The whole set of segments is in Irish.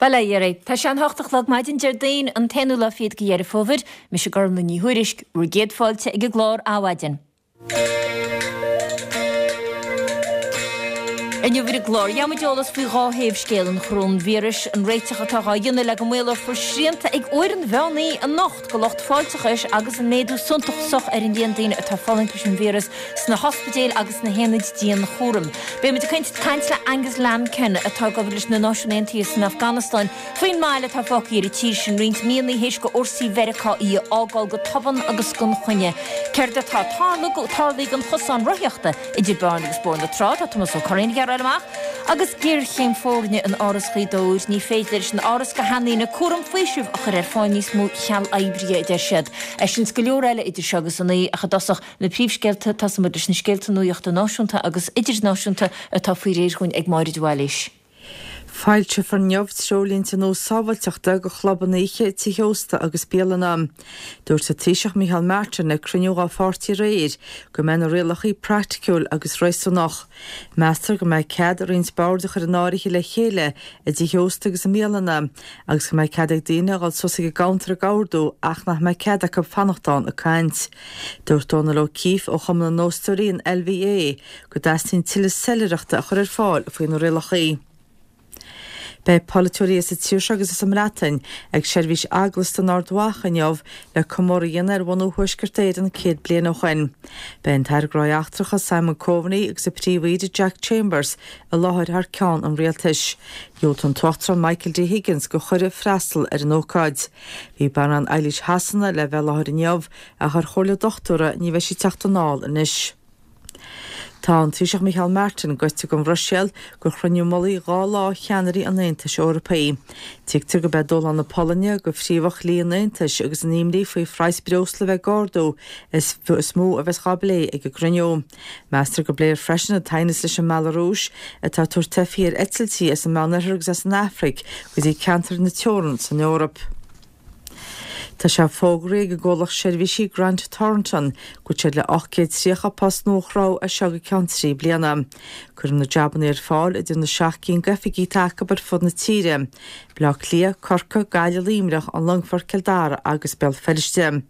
Bail ó Dhia oraibh. Tá sé an hocht a chlog maidin Déardaoin an t-aonú lá fichead de Dheireadh Fómhair. Mise Gormlaith Ní Thuairisg, bhur gcéad fáilte ag an gclár Adhmhaidin. Inniu ar an gclár, gheobhaimid eolas faoi dhá thaobh scéal an choróinvíris, an réiteach atá dhá dhéanamh le go maolófar srianta ag uair an mheán oíche anocht go lucht fáilteachais agus an méadú suntasach ar an líon daoine atá ag fulaingt leis an víreas sna hospidéil agus sna haonaid dianchúraim. Beimid ag caint le Angus Lambkin atá ag obair leis na Náisiúin Aontaithe san Afganastáin Faoin mbail atá fágtha ar an tír sin roinnt míonna théis do fhórsaí Mheiriceá í a fhágáil go tobann agus gan choinne. Céard atá tarlaithe don chosán rothaíochta idir Bearna agus Bóthar na Trá? Tá Tomás Ó Curraoin ag iarraidh a fháil amach. Agus géarchéim foirne in Áras Ghaoth Dobhair, ní féidir leis an Áras go hainmhíne cúram faoisimh a chur ar fáil níos mó cheal oibrithe, a deir siad. É sin is go leor eile idir seo agus a naoi ach i dtosach na príomhscéalta, tosóidh muid leis na scéalta nuachta náisiúnta agus idirnáisiúnta atá faoi réir dhúinn ag Máire de Bhailís. Foilseofar inniu treoirlínte nua sábháilteachta do chlubanna oíche, tithe ósta agus bialanna. Dúirt an Taoiseach Micheál Martin ag cruinniú dá pháirtí aréir go mbeidh na rialacha praiticiúil agus réasúnach. Meastar go mbeidh cead roinnt bord a chur in áirithe le chéile i dtithe ósta agus i mbialanna agus go mbeidh cead ag daoine a dhul suas ag an gcuntar ag ordú ach nach mbeidh cead acu fanacht ann ag caint. Dúirt Dónal O'Keeffe ó Chumann na nÓstóirí, an LVA, go dteastaíonn tuilleadh soiléireachta a chur ar fáil faoi na rialacha. Beidh polaiteoirí as an tír seo agus as an mBreatain ag seirbhís eaglasta in Ard Mhacha inniu le comóradh a dhéanamh ar bhunú Thuaisceart Éireann 100 bliain ó shoin. Beidh an tAire Gnóthaí Eachtracha Simon Coveney agus an Príomh-Aoire Jack Chambers i láthair thar ceann an rialtais. Dhiúltaigh an tUachtarán Michael D Higgins do chuireadh freastal ar an ócáid. Bhí Banríon Eilís Shasana le bheith i láthair inniu ach ar chomhairle dochtúra ní bheidh sí ag teacht anall anois. Tá an Taoiseach Micheál Martin gaibhte don Bhruiséil do chruinniú mullaigh 2 lá cheannairí an Aontais Eorpaigh. Tuigtear gurb é dúshlán na Polainne do phríomhach dhlí an Aontais agus an imní faoi phraghas breosla a bheith ag ardú is mó a bheas dhá bplé ag an gcruinniú. Meastar go bpléifear freisin an t-aighneas leis an mBealarúis atá ag tabhairt teifigh ar eitiltí as an Meánoirthear agus as an Afraic go dtí ceantair na teorann san Eoraip. Tá sé fógraithe ag an gcomhlacht seirbhísí Grant Thornton go bhfuil siad le 830 post nua a chruthú as seo go ceann 3 bliana. Cuirfear na jabanna ar fáil idir na seacht gcinn d'oifigí atá acu ar fud na tíre, Baile Átha Cliath, Corcaigh, Gaillimh, Luimneach, An Longfort, Cill Dara agus Béal Feirste.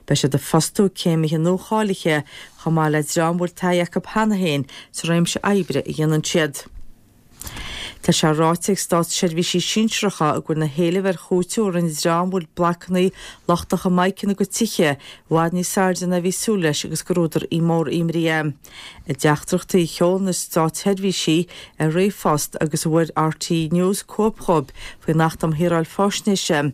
Beidh siad ag fostú céimithe nuacháilithe chomh maith le dream a bhfuil taithí acu cheana féin sa réimse oibre a dhéanann siad. Tá sé ráite ag státseirbhísigh sinsearacha go bhfuil na héilimh ar chúiteamh a rinne dream a bhfuil blocanna lochtacha mic ina gcuid tithe i bhfad níos airde ná a bhí súil leis agus gur údar mór imní é. I dteachtaireachtaí a sheol na státseirbhísigh ar ríomhphost agus a bhfuair RTÉ News cóip dhóibh faoin Acht um Shaoráil Faisnéise,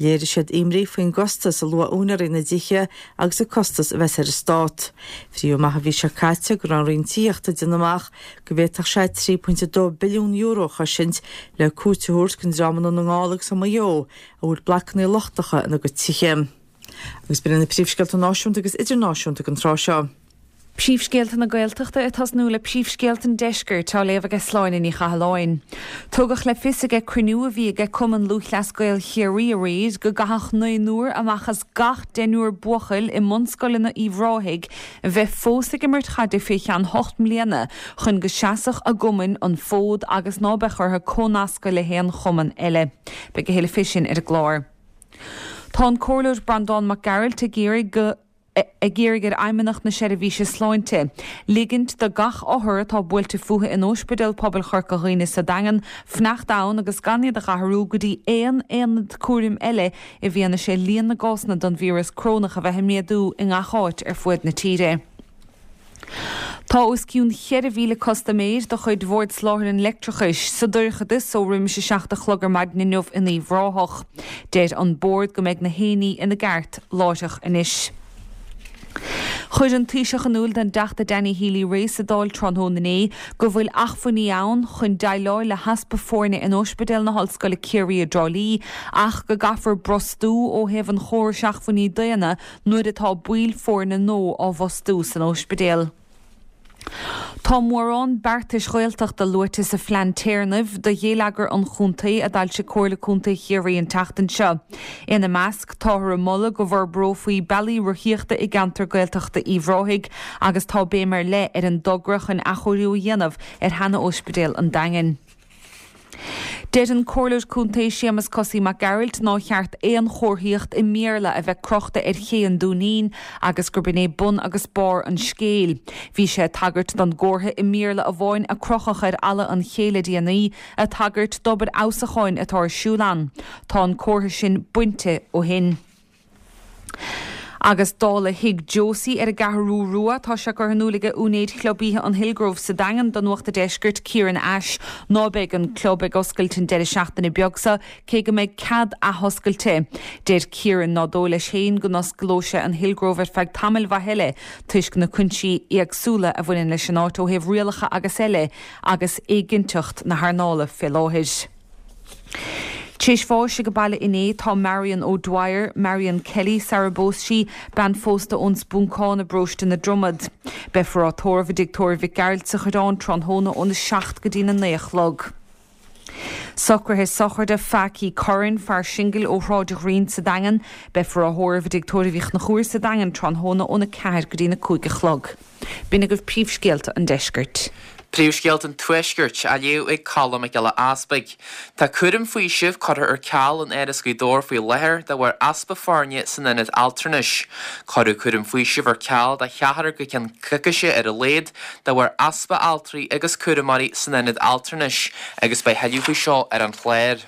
léirigh siad imní faoin gcostas a luaigh úinéirí na dtithe agus an costas a bheas ar an stát. Frítheadh amach an mhí seo caite go raibh an Roinn Tithíochta ag déanamh amach go bhféadfadh sé €3.2 billiún a chosaint le cúiteamh a thabhairt don dream i nDún na nGall agus i Maigh Eo a bhfuil blocanna lochtacha ina gcuid tithe. Agus b'in iad na príomhscéalta náisiúnta agus idirnáisiúnta don tráth seo. Príomhscéalta na Gaeltachta ag tosnú le príomhscéalta an Deiscirt á léamh aige Sláine Ní Chathalláin. Tugadh le fios aige cruinniú a bhí aige Cumann Lúthchleas Gael Chiarraí aréir go gcaithfeadh naonúr amach as gach deichniúr buachaill i mbunscoileanna Uíbh Ráthaigh a bheith fós ag imirt chaide fé cheann hocht mbliana chun go seasfadh a gcumainn an fód agus ná beadh orthu comhnascadh le haon chumann eile. Beidh a thuilleadh fé sin ar an gclár. Tá an Comhairleoir Breandán Mac Gearailt ag iarraidh go ag iarraidh ar Fheidhmeannacht na Seirbhíse Sláinte ligint do gach othar atá buailte fúthu in Óispidéal Pobail Chorca Dhuibhne sa Daingean fanacht ann agus gan iad a dh'athrú go dtí aon aonad cúraim eile i bhfianaise líon na gcásanna den víreas corónach a bheith ag méadú i ngach áit ar fuaid na tíre. Tá os cionn 4,000 custaiméir de chuid Bhord Soláthair an Leictreachais sa dorchadas ó roimis a 7 a chlog ar maidin inniu in Uíbh Ráthach. Deir an Bord go mbeidh na héinní ina gceart láithreach anois. Chuir an Taoiseach in iúl don dTeachta Danny Healy-Rae sa Dáil tráthnóna inné go bhfuil acmhainní ann chun déileáil le heaspa foirne in Ospidéal na hOllscoile Ciarraí i dTrá Lí ach go gcaithfear brostú ó thaobh an chórais acmhainní daonna nuair atá baill foirne nua á bhfostú san ospidéal. Tá mórán beartais Ghaeltachta luaite sa phlean téarnaimh do ghéilleagar an chontae a d'fhoilsigh Comhairle Contae Chiarraí an tseachtain seo. Ina measc, táthar ag moladh go bhforbrófaí bealaí rothaíochta i gceantar Gaeltachta Uíbh Ráthaigh agus tá béim ar leith ar an dtogra chun athchóiriú a dhéanamh ar sheana-Ospidéal an Daingin. Deir an Comhairleoir Contae Séamus Cosaí Mac Gearailt nár cheart aon chomharthaíocht i mBéarla a bheith crochta ar ché an Dúinín agus gurb in é bun agus barr an scéil. Bhí sé ag tagairt don gcomhartha i mBéarla amháin a crochadh ar fhalla an ché le déanaí, ag tagairt d'obair fheabhsúcháin atá ar siúl ann. Tá an comhartha sin bainte ó shin. Agus dála Thigh Josie ar an gCeathrú Rua, tá sé curtha in iúl aige úinéir Chlub Oíche an Hillgrove sa Daingean do Nuacht an Deiscirt, Kieran Ashe, ná beidh an club ag oscailt an deireadh seachtaine beag seo, cé go mbeidh cead athoscailte. Deir Kieran ná dóigh leis féin go n-osclóidh sé an Hillgrove ar feadh tamaill mhaith eile toisc na cúinsí éagsúla a bhaineann leis an áit ó thaobh rialacha agus eile agus éiginnteacht na hearnála fé láthair. Tar éis bháis ag an baile inné tá Marion O'Dwyer, Marion Kelly sara bpós sí, bean phósta ón Spúncán i bparóiste na Dromad. Beifear á tórramh i dTigh Tórraimh Mhic Gearailt sa Choireán tráthnóna óna 7 go dtína 9 a chlog. Socruithe sochraide Phackie Curran, fear singil ó Shráid Ghrian sa Daingean. Beifear á thórramh i dTigh Tórraimh Uí Chonchúir sa Daingean tráthnóna óna 4 go dtína 5 a chlog. B'in agaibh príomhscéalta an deiscirt. Príomhscéalta an Tuaiscirt á léamh ag Colm Mac Giolla Easpaig. Tá cúram faoisimh curtha ar ceal in Áras Ghaoth Dobhair faoi láthair de bharr easpa foirne san ionad altranais. Cuireadh cúram faoisimh ar ceal do cheathrar go ceann coicíse ar a laghad de bharr easpa altraí agus cúramóirí san ionad altranais agus beidh thuilleadh faoi seo ar an chlár.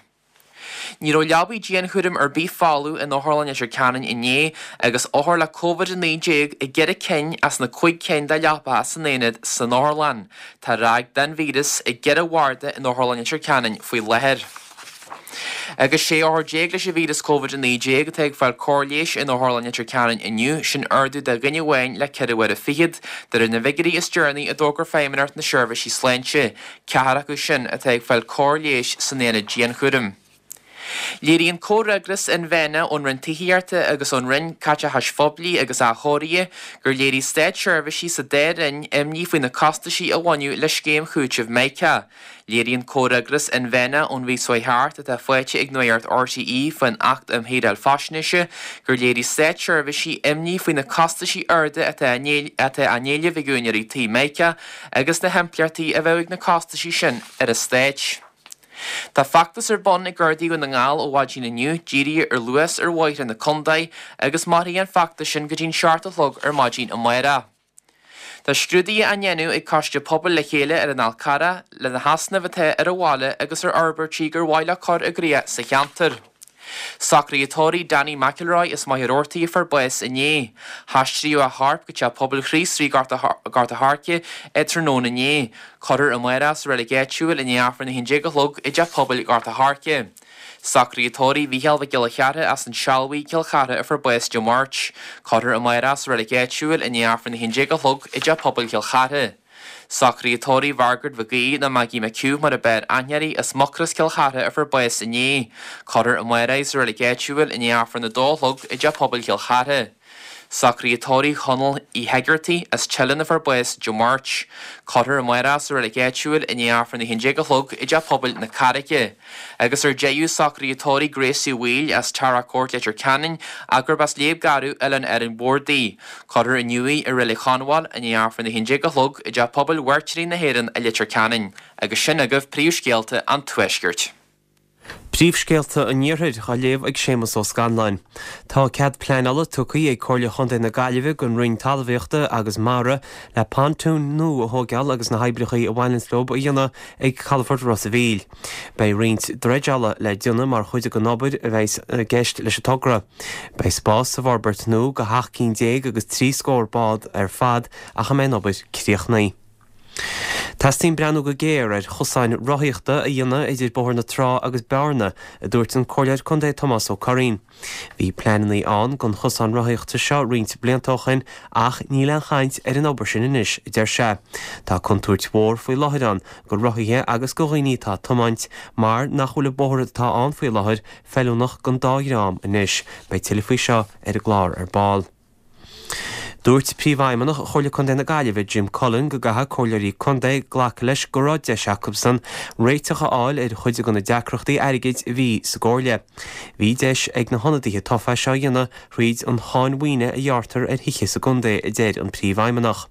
Ní raibh leabaí dianchúraim ar bith folamh in Otharlann Leitir Ceanainn inné agus othair le Covid-19 i gceithre cinn as na cuig cinn de leapacha san aonad san otharlann. Tá ráig den víreas i gceithre bharda in Otharlann Leitir Ceanainn faoi láthair. Agus 16 othar leis an víreas Covid-19 atá ag fáil cóir leighis in Otharlann Leitir Ceanainn inniu, sin ardú de dhuine amháin le ceithre huaire fichead, de réir na bhfigiúirí is deireanaí a d'fhógair Feidhmeannacht na Seirbhísí Sláinte. Ceathrar acu sin atá ag fáil cóir leighis san aonad dianchúraim. Léiríonn comhfhreagras inmheánach ón Roinn Tithíochta agus ón Roinn Caiteachais Phoiblí agus Athchóirithe gur léirigh státseirbhísigh sa dá roinn imní faoi na costaisí a bhaineadh le scéim chúitimh Mica. Léiríonn comhfhreagras inmheánach ón mhí seo thart atá faighte ag Nuacht RTÉ faoin Acht um Shaoráil Faisnéise gur léirigh státseirbhísigh imní faoi na costaisí arda atá á n-éileamh ag úinéirí tí Mica agus na himpleachtaí a bheadh ag na costaisí sin ar eastáit. Tá feachtas ar bun ag Gardaí Dhún na nGall ó mhaidin inniu dírithe ar luas ar bhóithre na contae agus mairfidh an feachtas sin go dtí'n 7 a chlog ar maidin amárach. Tá scrúduithe á ndéanamh ag Coiste Pobail Le Chéile ar an Fhál Carrach le na heasnaimh atá ar an bhaile agus ar fhorbairtí gur mhaith leo cur i gcrích sa cheantar. Socruithe tórraimh Danny McElroy as Machaire Rabhartaigh a fuair bás inné. Haistríodh a chorp go Teach Pobail Chríost Rí Gort a' Choirce tráthnóna inné. Cuirfear amárach sa reilig áitiúil i ndiaidh Aifreann a 11 a chlog i dTeach Pobail Ghort a' Choirce. Socruithe tórraimh Mhícheál Mhic Giolla Chearra as an Sealbhaigh, Cill Chartha a fuair bás Dé Máirt. Cuirfear amárach sa reilig áitiúil i ndiaidh Aifreann a 11 a chlog i dTeach Pobail Chill Chartha. Socruithe tórraimh Mhargaret Mhic Aoidh nó Maggie McHugh mar a b'fhearr aithne uirthi as Mucros Cill Chartha a fuair bás inné. Cuirfear amárach í sa reilig áitiúil i ndiaidh Aifreann a dó a chlog i dTeach Pobail Chill Chartha. Socruithe tórraimh Chonaill Uí hEigeartaigh as Teileann a fuair bás Dé Máirt. Cuirfear amárach sa reilig áitiúil i ndiaidh Aifreann a haon déag a chlog i dTeach Pobail na Carraice. Agus ar deireadh, socruithe tórraimh Gracie Uí Bhaoill as Tara Court, Leitir Ceanainn, ach gurb as Léib Garbh, Oileán Árainn Mhór di. Cuirfear inniu í i Reilig Chonbháil i ndiaidh Aifreann 11 a chlog i dTeach Pobail Mhairtírigh na hÉireann i Leitir Ceanainn. Agus sin agaibh príomhscéalta an Tuaiscirt. Príomhscéalta an Iarthair á léamh ag Séamus Ó Scanláin. Tá cead pleanála tugtha ag Comhairle Chontae na Gaillimhe don Roinn Talmhaíochta agus Mara le pontúin nua a thóigeáil agus na hoibreacha a bhaineanns leo a dhéanamh ag Calafort Ros a' Mhíl. Beidh roinnt dreideála le déanamh mar chuid den obair a bheidh i gceist leis an togra. Beidh spás sa bhforbairt nua do sheacht gcinn déag agus 30 scór bád ar fad ach a mbeidh an obair críochnaithe. Teastaíonn breathnú go géar ar chosáin rothaíochta a dhéanamh idir Bóthar na Trá agus Bearna, a dúirt an Comhairleoir Contae Tomás Ó Curraoin. Bhí pleananna ann don chosán rothaíochta seo roinnt blianta ó shin ach níl aon chaint ar an obair sin anois, a deir sé. Tá contúirt mhór faoi láthair ann go rothaithe agus go dhaoine atá ag tiomáint mar nach bhfuil an bóthar atá ann faoi láthair feiliúnach don dá dhream anois. Beidh tuilleadh faoi seo ar an gclár ar ball. Dúirt Príomhfheidhmeannach Chomhairle Contae na Gaillimhe, Jim Cullen, go gcaithfidh comhairleoirí contae glacadh leis go raibh deis acusan réiteach a fháil ar chuid de na deacrachtaí airgid a bhí sa gcomhairle. Bhí deis ag na hionadaithe tofa é seo a dhéanamh thríd an cháin mhaoine a ghearrtar ar thithe sa gcontae, a deir an Príomhfheidhmeannach.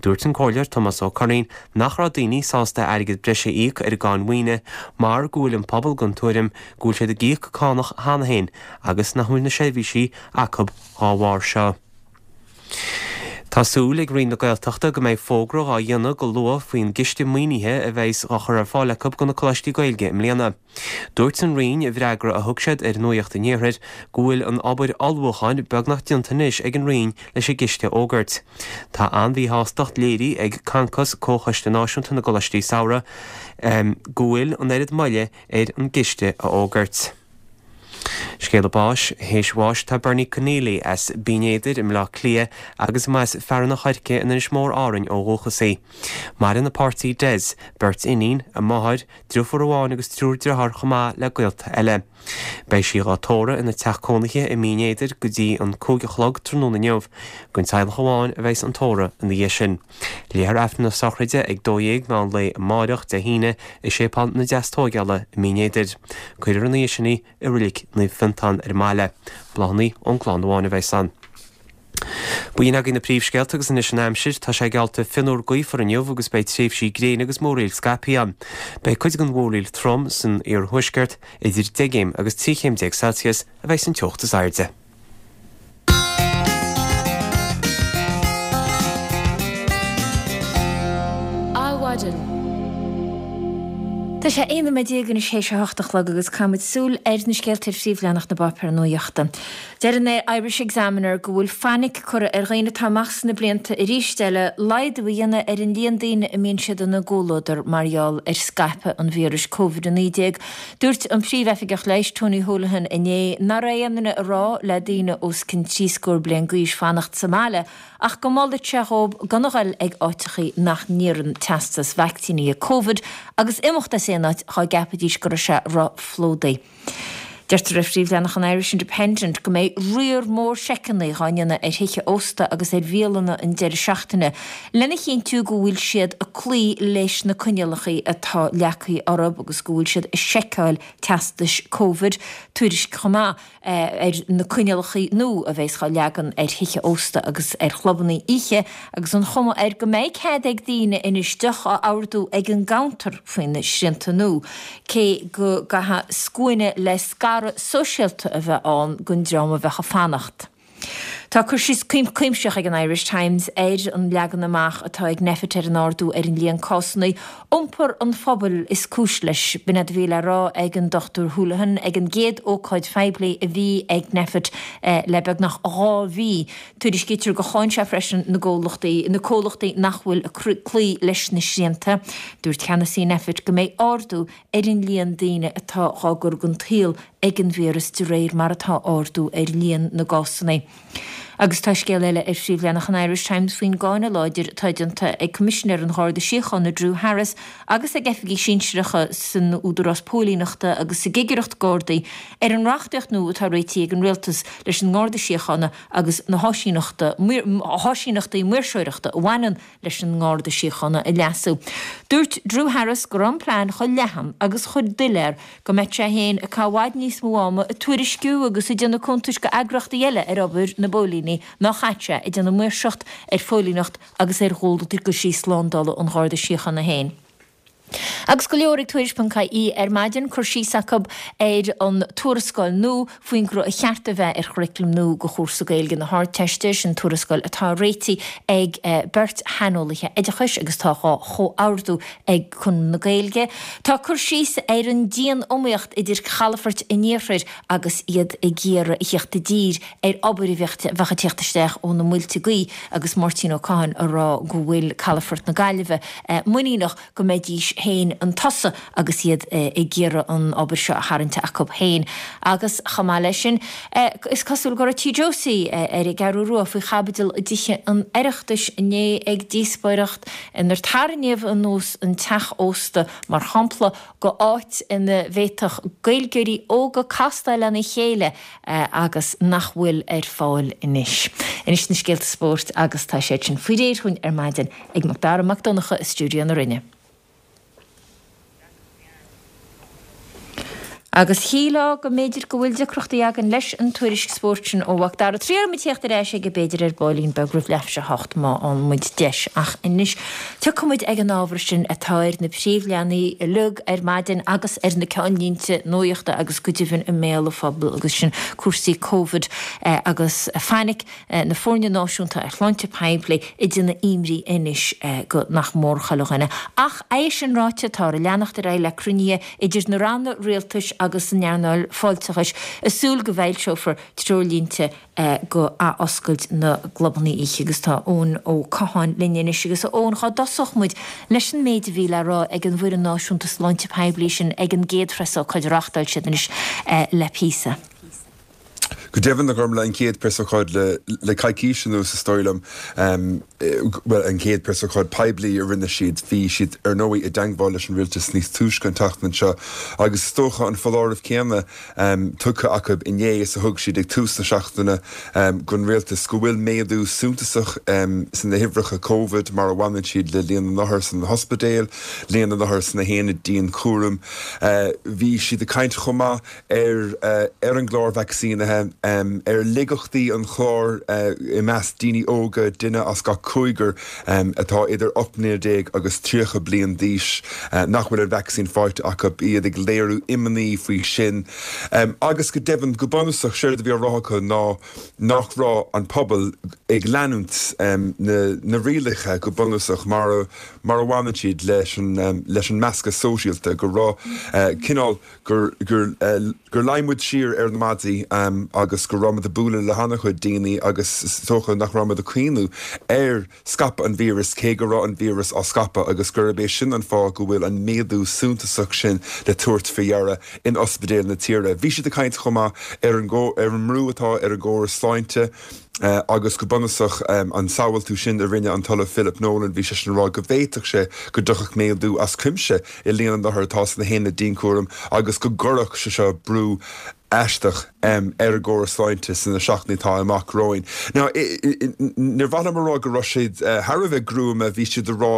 Dúirt an Comhairleoir Tomás Ó Curraoin nach raibh daoine sásta airgead breise a íoc ar an gcáin mhaoine mar go bhfuil an pobal den tuairim go bhfuil siad ag íoc cánach cheana féin agus nach bhfuil na seirbhísí acu dhá bharr seo. Tá súil ag Roinn na Gaeltachta go mbeidh fógra dhá dhéanamh go luath faoin gciste maoinithe a bheas dhá chur ar fáil acu do na coláistí Gaeilge i mbliana. Dúirt an Roinn i bhfreagra a thug siad ar Nuacht an Iarthair go bhfuil an obair ullmhúcháin beagnach déanta anois ag an Roinn leis an gciste a fhógairt. Tá an-mhíshástacht léirithe ag Concos, Comhchoiste Náisiúnta na gColáistí Samhraidh, go bhfuil an oiread moille ar an gciste a fhógairt. Scéala báis, Théis bháis tá Bernie Conneely as Binn Éadair i mBleá Cliath agus mba as Fearann an Choirce in Inis Mór Árainn ó dhúchas í. Maireann a páirtí Des, beirt iníon, a máthair, Driofúr amháin agus triúr driotháir chomh maith le gaolta eile. Beidh sí dhá tórramh ina teach cónaithe i mBinn Éadair go dtí an 5 a chlog tráthnóna inniu. Don teaghlach amháin a bheas an tórramh ina dhiaidh sin. Léifear Aifreann na sochraide ag 12 meán lae amáireach, Dé hAoine, i Séipéal na Deastóigeála i mBinn Éadair. Cuirfear ina dhiaidh sin í i Roilig Naomh Fiontán ar an mbaile. Bláthanna ón gclann amháin a bheas ann. B'in agaibh na príomhscéalta agus anois an aimsir. Tá sé geallta fionnuar gaofar inniu agus beidh tréimhsí gréine agus múraíl scaipthe ann. Beidh cuid den mhúraíl trom san iarthuaisceart, idir 10 gcéim agus 13 chéim Celsius a bheidh an teocht is airde. Adhmhaidin. Tá sé 11 nóiméad anois théis a hocht a chlog agus caithfimid súil ar na scéalta ar phríomhleathanach na bpáipéar nuachta. Deir an Irish Examiner go bhfuil fainic curtha ar dhaoine atá amach sna blianta arís eile laghdú a dhéanamh ar an líon daoine a mbíonn siad ina gcomhluadar mar gheall ar scaipeadh an víris Covid-19. Dúirt an Príomh-Oifigeach Leighis Tony Holohan inné nach raibh aon duine ag rá le daoine os cionn trí scór bliain d'aois fanacht sa mbaile ach go molfadh sé dhóibh gan a ghoil ag áiteachaí nach n-iarrann teastas vaicsínithe Covid agus imeacht as aon áit dhá gceapfaidís go raibh sé ro-phlódaithe. Deirtear ar phríomhleathanach an Irish Independent go mbeidh riar mór seiceanna dhá ndéanamh ar thithe ósta agus ar bhialanna an deireadh seachtaine lena chinntiú go bhfuil siad ag cloí leis na coinníollacha atá leagtha orthu agus go bhfuil siad ag seiceáil teastais Covid. Tuairisc chomh maith. ar na coinníollacha nua a bheas dhá leagan ar thithe ósta agus ar chlubanna oíche agus an chuma air go mbeidh cead ag daoine anois deoch a ordú ag an gcuntar faoi na srianta nua, cé go gcaithfidh scuaine le scaradh sóisialta a bheith ann don dream a bheadh ag fanacht. Tá cur síos cuimsitheach ag an Irish Times ar an leagan amach atá ag Nphet ar an ardú ar an líon cásanna. Iompar an phobail is cúis leis. B'in é a bhí le rá ag an Dr Holohan ag an gcéad ócáid phoiblí a bhí ag Nphet le beagnach 2 mhí. Tuairiscítear gur cháin sé freisin na gcomhlachtaí na comhlachtaí nach bhfuil ag cloí leis na srianta. Dúirt ceannasaí Nphet go mbeidh ardú ar an líon daoine atá dhá gcur den tsaol ag an víreas de réir mar atá ardú ar líon na gcásanna. Agus tá scéal eile ar phríomhleathanach an Irish Times faoin gcáineadh láidir atá déanta ag Coimisinéir an Gharda Síochána Drew Harris agus ag oifigigh sinsearacha san Údarás Póilíneachta agus sa gCigireacht Gardaí ar an reachtaíocht nua atá réitithe ag an Rialtas leis an nGarda Síochána agus na háisíneachtaí maoirseoireachta a bhaineann leis an nGarda Síochána a leasú. Dúirt Drew Harris go raibh an plean chomh leathan agus chomh doiléir go mbeadh sé féin ag caitheamh i bhfad níos mó ama ag tuairisciú agus ag déanamh cuntais go eagraíochtaí eile ar obair na bpóilíní ná chaith sé ag déanamh maoirseacht ar phóilíneacht agus ar dhualgaisí slándála an Gharda Síochána féin. Agus go leor ag Tuairisc.ie ar maidin, cur síos acu ar an tuarascáil nua faoin gcruth a cheart a bheith ar churaclam nua do chúrsa Gaeilge na hArdteiste. Sin tuarascáil atá réitithe ag beirt shaineolaithe oideachais agus atá dhá chomhordú ag Conradh na Gaeilge. Tá cur síos ar an dian-iomaíocht idir chalafoirt an iarthair agus iad ag iarraidh a thíocht i dtír ar obair a bheadh ag tíocht isteach ó na muilte gaoithe agus Máirtín Ó Cadhain ag rá go bhfuil calafort na Gaillimhe muiníneach go mbeidís. féin chun tosaigh agus iad ag iarraidh an obair seo a tharraingt acu féin. Agus chomh maith leis sin, is cosúil go raibh Tigh Josie ar an gCeathrú Rua faoi chaibidil i dTithe an Oireachtais inné ag díospóireacht inar tarraingíodh anuas an teach ósta mar shampla go áit ina bhféadfadh Gaeilgeoirí óga castáil lena chéile agus nach bhfuil ar fáil anois. Anois na scéalta spóirt agus tá siad sin faoi réir dhúinn ar maidin ag Macdara Mac Donncha i stiúideo na Rinne. Agus shílfeá go mb'fhéidir go bhfuil deacrachtaí againn leis an tuairisc spóirt sin ó Mhacdara. Triailfidh muid theacht ar ais aige b'fhéidir ar baillín beag roimh leathuair tar éis a hocht má fhaigheann muid deis. Ach anois tiocfaidh muid ag an ábhar sin atá ar na príomhleathanaigh uilig ar maidin agus ar na ceannlínte nuachta agus go deimhin i mbéal an phobail agus sin cúrsaí Covid agus fainic na foirne náisiúnta ar shláinte poiblí ag déanamh imní anois go nach mór chuile dhuine. Ach é sin ráite, táthar ag leanacht ar aghaidh le cruinnithe idir na ranna rialtais agus an earnáil fáilteachais ag súil go bhfoilseofar treoirlínte go athoscailt na gclubanna oíche. Agus tá Eoin Ó Catháin linn anois. Agus a Eoin, dhá dtosódh muid leis an méid a bhí le rá ag an bhfoireann náisiúnta sláinte poiblí sin ag an gcéad phreasócáid a reáchtáil siad anois le píosa. Go deimhin, a Ghormlaith, an chéad preasócáid le coicís anuas, is dóigh liom, bhuel, an chéad preasócáid poiblí a rinne siad. Bhí siad, ar ndóigh, i dteangmháil leis an rialtas níos túisce an tseachtain seo agus is dócha an foláireamh céanna tugtha acu inné is a thug siad ag tús na seachtaine don rialtas go bhfuil méadú suntasach sna huimhreacha Covid mar a bhaineann siad le líon na n-othar sna hospidéil, líon na n-othar sna haonaid dianchúraim. Bhí siad ag caint chomh maith ar ar an gclár vacsaínithe, ar laigeachtaí an chláir i measc daoine óga, duine as gach cúigear atá idir 18 mbliana agus 30 bliain d'aois nach bhfuil an vacsaín faighte acu, iad ag léiriú imní faoi sin. Agus go deimhin, go bunúsach, séard a bhí á rá acu ná nach raibh an pobal ag leanúint na rialacha go bunúsach mar a mar a bhaineann siad leis an leis an meascadh sóisialta, go raibh cineál gur gur luigh muid siar ar na maidí agus go raibh muid ag bualadh le han-chuid daoine agus is dócha nach raibh muid ag cuimhniú ar scaipeadh an víreas cé go raibh an víreas á scaipeadh agus gurb é sin an fáth go bhfuil an méadú suntasach sin le tabhairt faoi deara in ospidéil na tíre. Bhí siad ag caint chomh maith ar an ar an mbrú atá ar an gcóras sláinte. Agus go bunúsach, an samhaltú sin a rinne an tOllamh Philip Nolan, bhí seisean ag rá go bhféadfadh sé go dtiocfadh méadú as cuimse i líon na n-othar atá sna haonaid dianchúraim agus go gcuirfeadh sé seo brú aisteach ar an gcóras sláinte sna seachtainí atá amach romhainn. Now, níor mhaith liom a rá go raibh siad thar a bheith gruama, bhí siad ag rá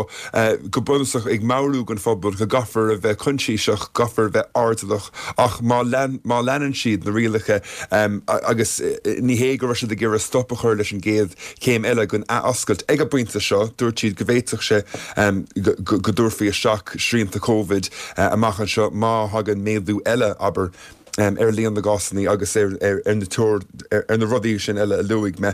go bunúsach ag meabhrú don phobal go gcaithfear a bheith coinsiasach, gcaithfear a bheith airdeallach ach má leanann siad na rialacha agus ní hé go raibh siad ag iarraidh stop a chur leis an gcéad chéim eile den athoscailt ag an bpointe seo, dúirt siad go bhféadfadh sé go dtabharfaí isteach srianta Covid amach anseo má thagann méadú eile, abair. ar líon na gcásanna agus ar na ar na rudaí sin eile a luaigh mé.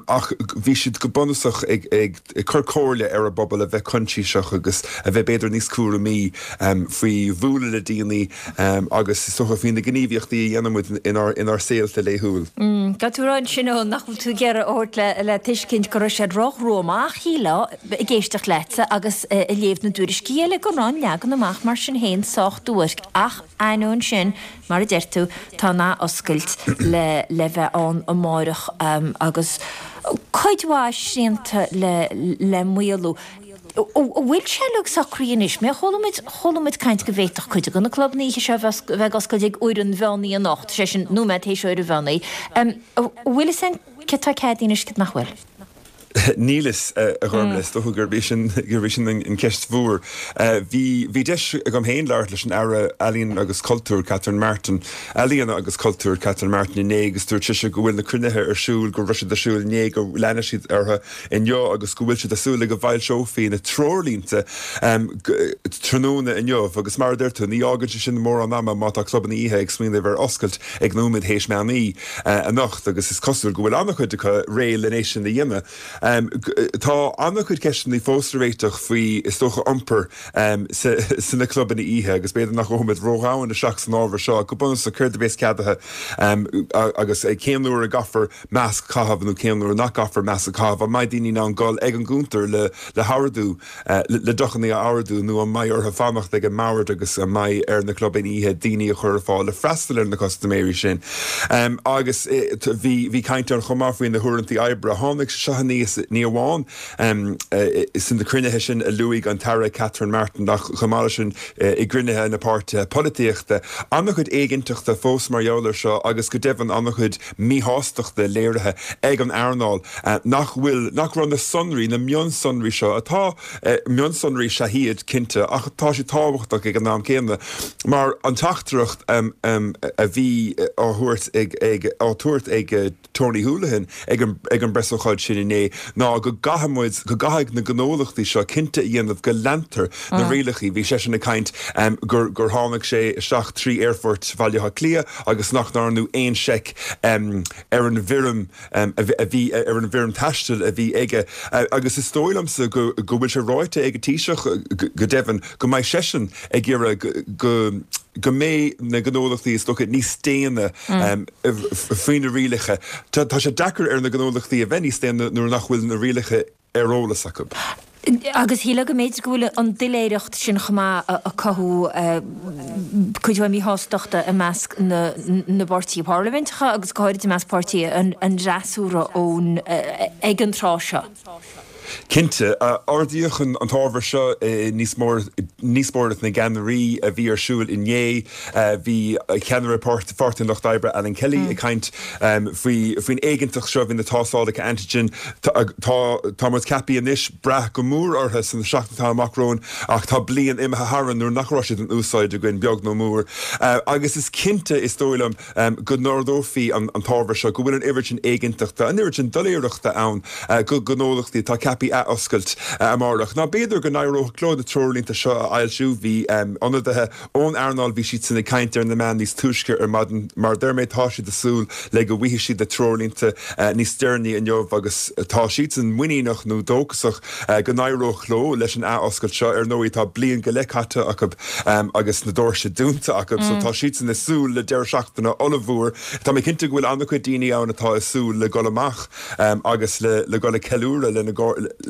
Ach bhí siad go bunúsach ag cur comhairle ar an bpobal a bheith coinsiasach agus a bheith b'fhéidir níos cúramaí faoi bhualadh le daoine agus is dócha faoi na gníomhaíochtaí a dhéanann muid inár saolta laethúil. Tá tú ag rá ansin Eoin nach bhfuil tú ag iarraidh a thabhairt le tuiscint go raibh siad róghruama ach shílfeá ag éisteacht leatsa agus ag léamh na dtuairiscí eile go raibh an leagan amach mar sin féin sách duairc ach Ainneoin sin, mar a deir tú, tá an athoscailt le le bheith ann amáireach agus cuid mhaith srianta le le maolú. An bhfuil sé uilig socraithe anois? Mé chuala muid chuala muid caint go bhféadfadh cuid de na clubanna oíche seo a bheith a bheith ag oscailt ag uair an mheán oíche anocht, sé sin nóiméad théis uair an mheán oíche. An bhfuil fhios againn céard atá ceadaithe anois céard nach bhfuil? Níl fhios, a Ghormlaith. Is dócha gurb í sin, gurb í sin an cheist mhór. Bhí, bhí deis agam féin labhairt leis an Aire Ealaíon agus Cultúir, Catherine Martin, Ealaíona agus Cultúir, Catherine Martin inné agus dúirt sise go bhfuil na cruinnithe ar siúl, go raibh siad ar siúl inné, go leanfaidh siad orthu inniu agus go bhfuil siad ag súil le go bhfoilseofaí na treoirlínte tráthnóna inniu. Agus mar a deir tú, ní fhágann sé sin mórán ama má tá clubanna oíche ag smaoineamh ar oscailt ag nóiméad théis meán oíche anocht agus is cosúil go bhfuil an-chuid acu réidh len é sin a dhéanamh. Tá an-chuid ceisteanna fós le réiteach faoi, is dócha, iompar sna clubanna oíche agus b'fhéidir nach ngabhfaimid ródhomhain isteach san ábhar seo ach go bunúsach céard a bheas ceadaithe agus cén uair a gcaithfear masc a chaitheamh nó cén uair nach gcaithfear masc a chaitheamh, an mbeidh daoine in ann dul ag an gcuntar le hordú, le deochanna a ordú nó an mbeidh orthu fanacht ag an mbord agus an mbeidh ar na clubanna oíche daoine a chur ar fáil le freastal ar na custaiméirí sin. Agus bhí caint ann chomh maith faoi na huaireanta oibre. Tháinig sé seo aníos ní amháin sna cruinnithe sin a luaigh an tAire Catherine Martin ach chomh maith leis sin i gcruinnithe na páirtithe polaitíochta. An-chuid éiginnteachta fós mar gheall air seo agus go deimhin an-chuid míshástachta léirithe ag an earnáil nach bhfuil, nach raibh na sonraí, na mionsonraí seo, atá, mionsonraí is ea iad, cinnte, ach tá siad tábhachtach ag an am céanna mar an teachtaireacht a bhí á thabhairt ag, ag, á tabhairt ag Tony Holohan ag an, ag an bpreasócáid sin inné ná go gcaithfidh muid, go gcaithfidh na gnólachtaí seo cinnte a dhéanamh go leantar na rialacha. Bhí seisean ag caint gur, gur tháinig sé isteach trí aerfort Bhaile Átha Cliath agus nach ndearnadh aon seic ar an bhfoirm a bhí, ar an bhfoirm taistil a bhí aige. Agus is dóigh liomsa go bhfuil sé ráite ag an Taoiseach, go deimhin, go mbeidh seisean ag iarraidh go go mbeidh na gnólachtaí, is dócha, níos déine faoi na rialacha. Tá sé deacair ar na gnólachtaí a bheith níos déine nuair nach bhfuil na rialacha ar eolas acu. Agus shílfeá go mb'fhéidir go bhfuil an doiléireacht sin chomh maith ag cothú cuid mhaith míshástachta i measc na bpáirtithe parlaiminteacha agus go háirid i measc páirtí an fhreasúra ón ag an tráth seo. Cinnte. Ardaíodh an t-ábhar seo i ndíospóireacht na gceannairí a bhí ar siúl inné. Bhí ceannaire Pháirtí an Lucht Oibre, Alan Kelly, ag caint faoi faoin éiginnteacht seo faoi na tástálacha antigen. Tá muid ceaptha anois brath go mór orthu sna seachtainí atá amach romhainn ach tá bliain imithe tharainn nuair nach raibh siad in úsáid againn, beag nó mór. Agus is cinnte, is dóigh liom, go n-ardófaí an t-ábhar seo, go bhfuil an oiread sin éiginnteachta, an oiread sin doiléireachta ann do ghnólachtaí atá ceaptha athoscailt amárach. Ná b'fhéidir go n-éireodh leo na treoirlínte seo a fhoilsiú. Bhí ionadaithe ón earnáil, bhí siadsan ag caint ar na meáin níos túisce ar maidin. Mar a deir mé, tá siad ag súil le go bhfaighidh siad na treoirlínte níos deireanaí inniu agus tá siadsan muiníneach nó dóchasach go n-éireodh leo leis an athoscailt seo. Ar ndóigh, tá bliain go leith caite acu agus na doirse dúnta acu so tá siadsan ag súil le deireadh seachtaine ollmhór. Tá mé cinnte go bhfuil an-chuid daoine ann atá ag súil le dul amach agus le dul ag ceiliúradh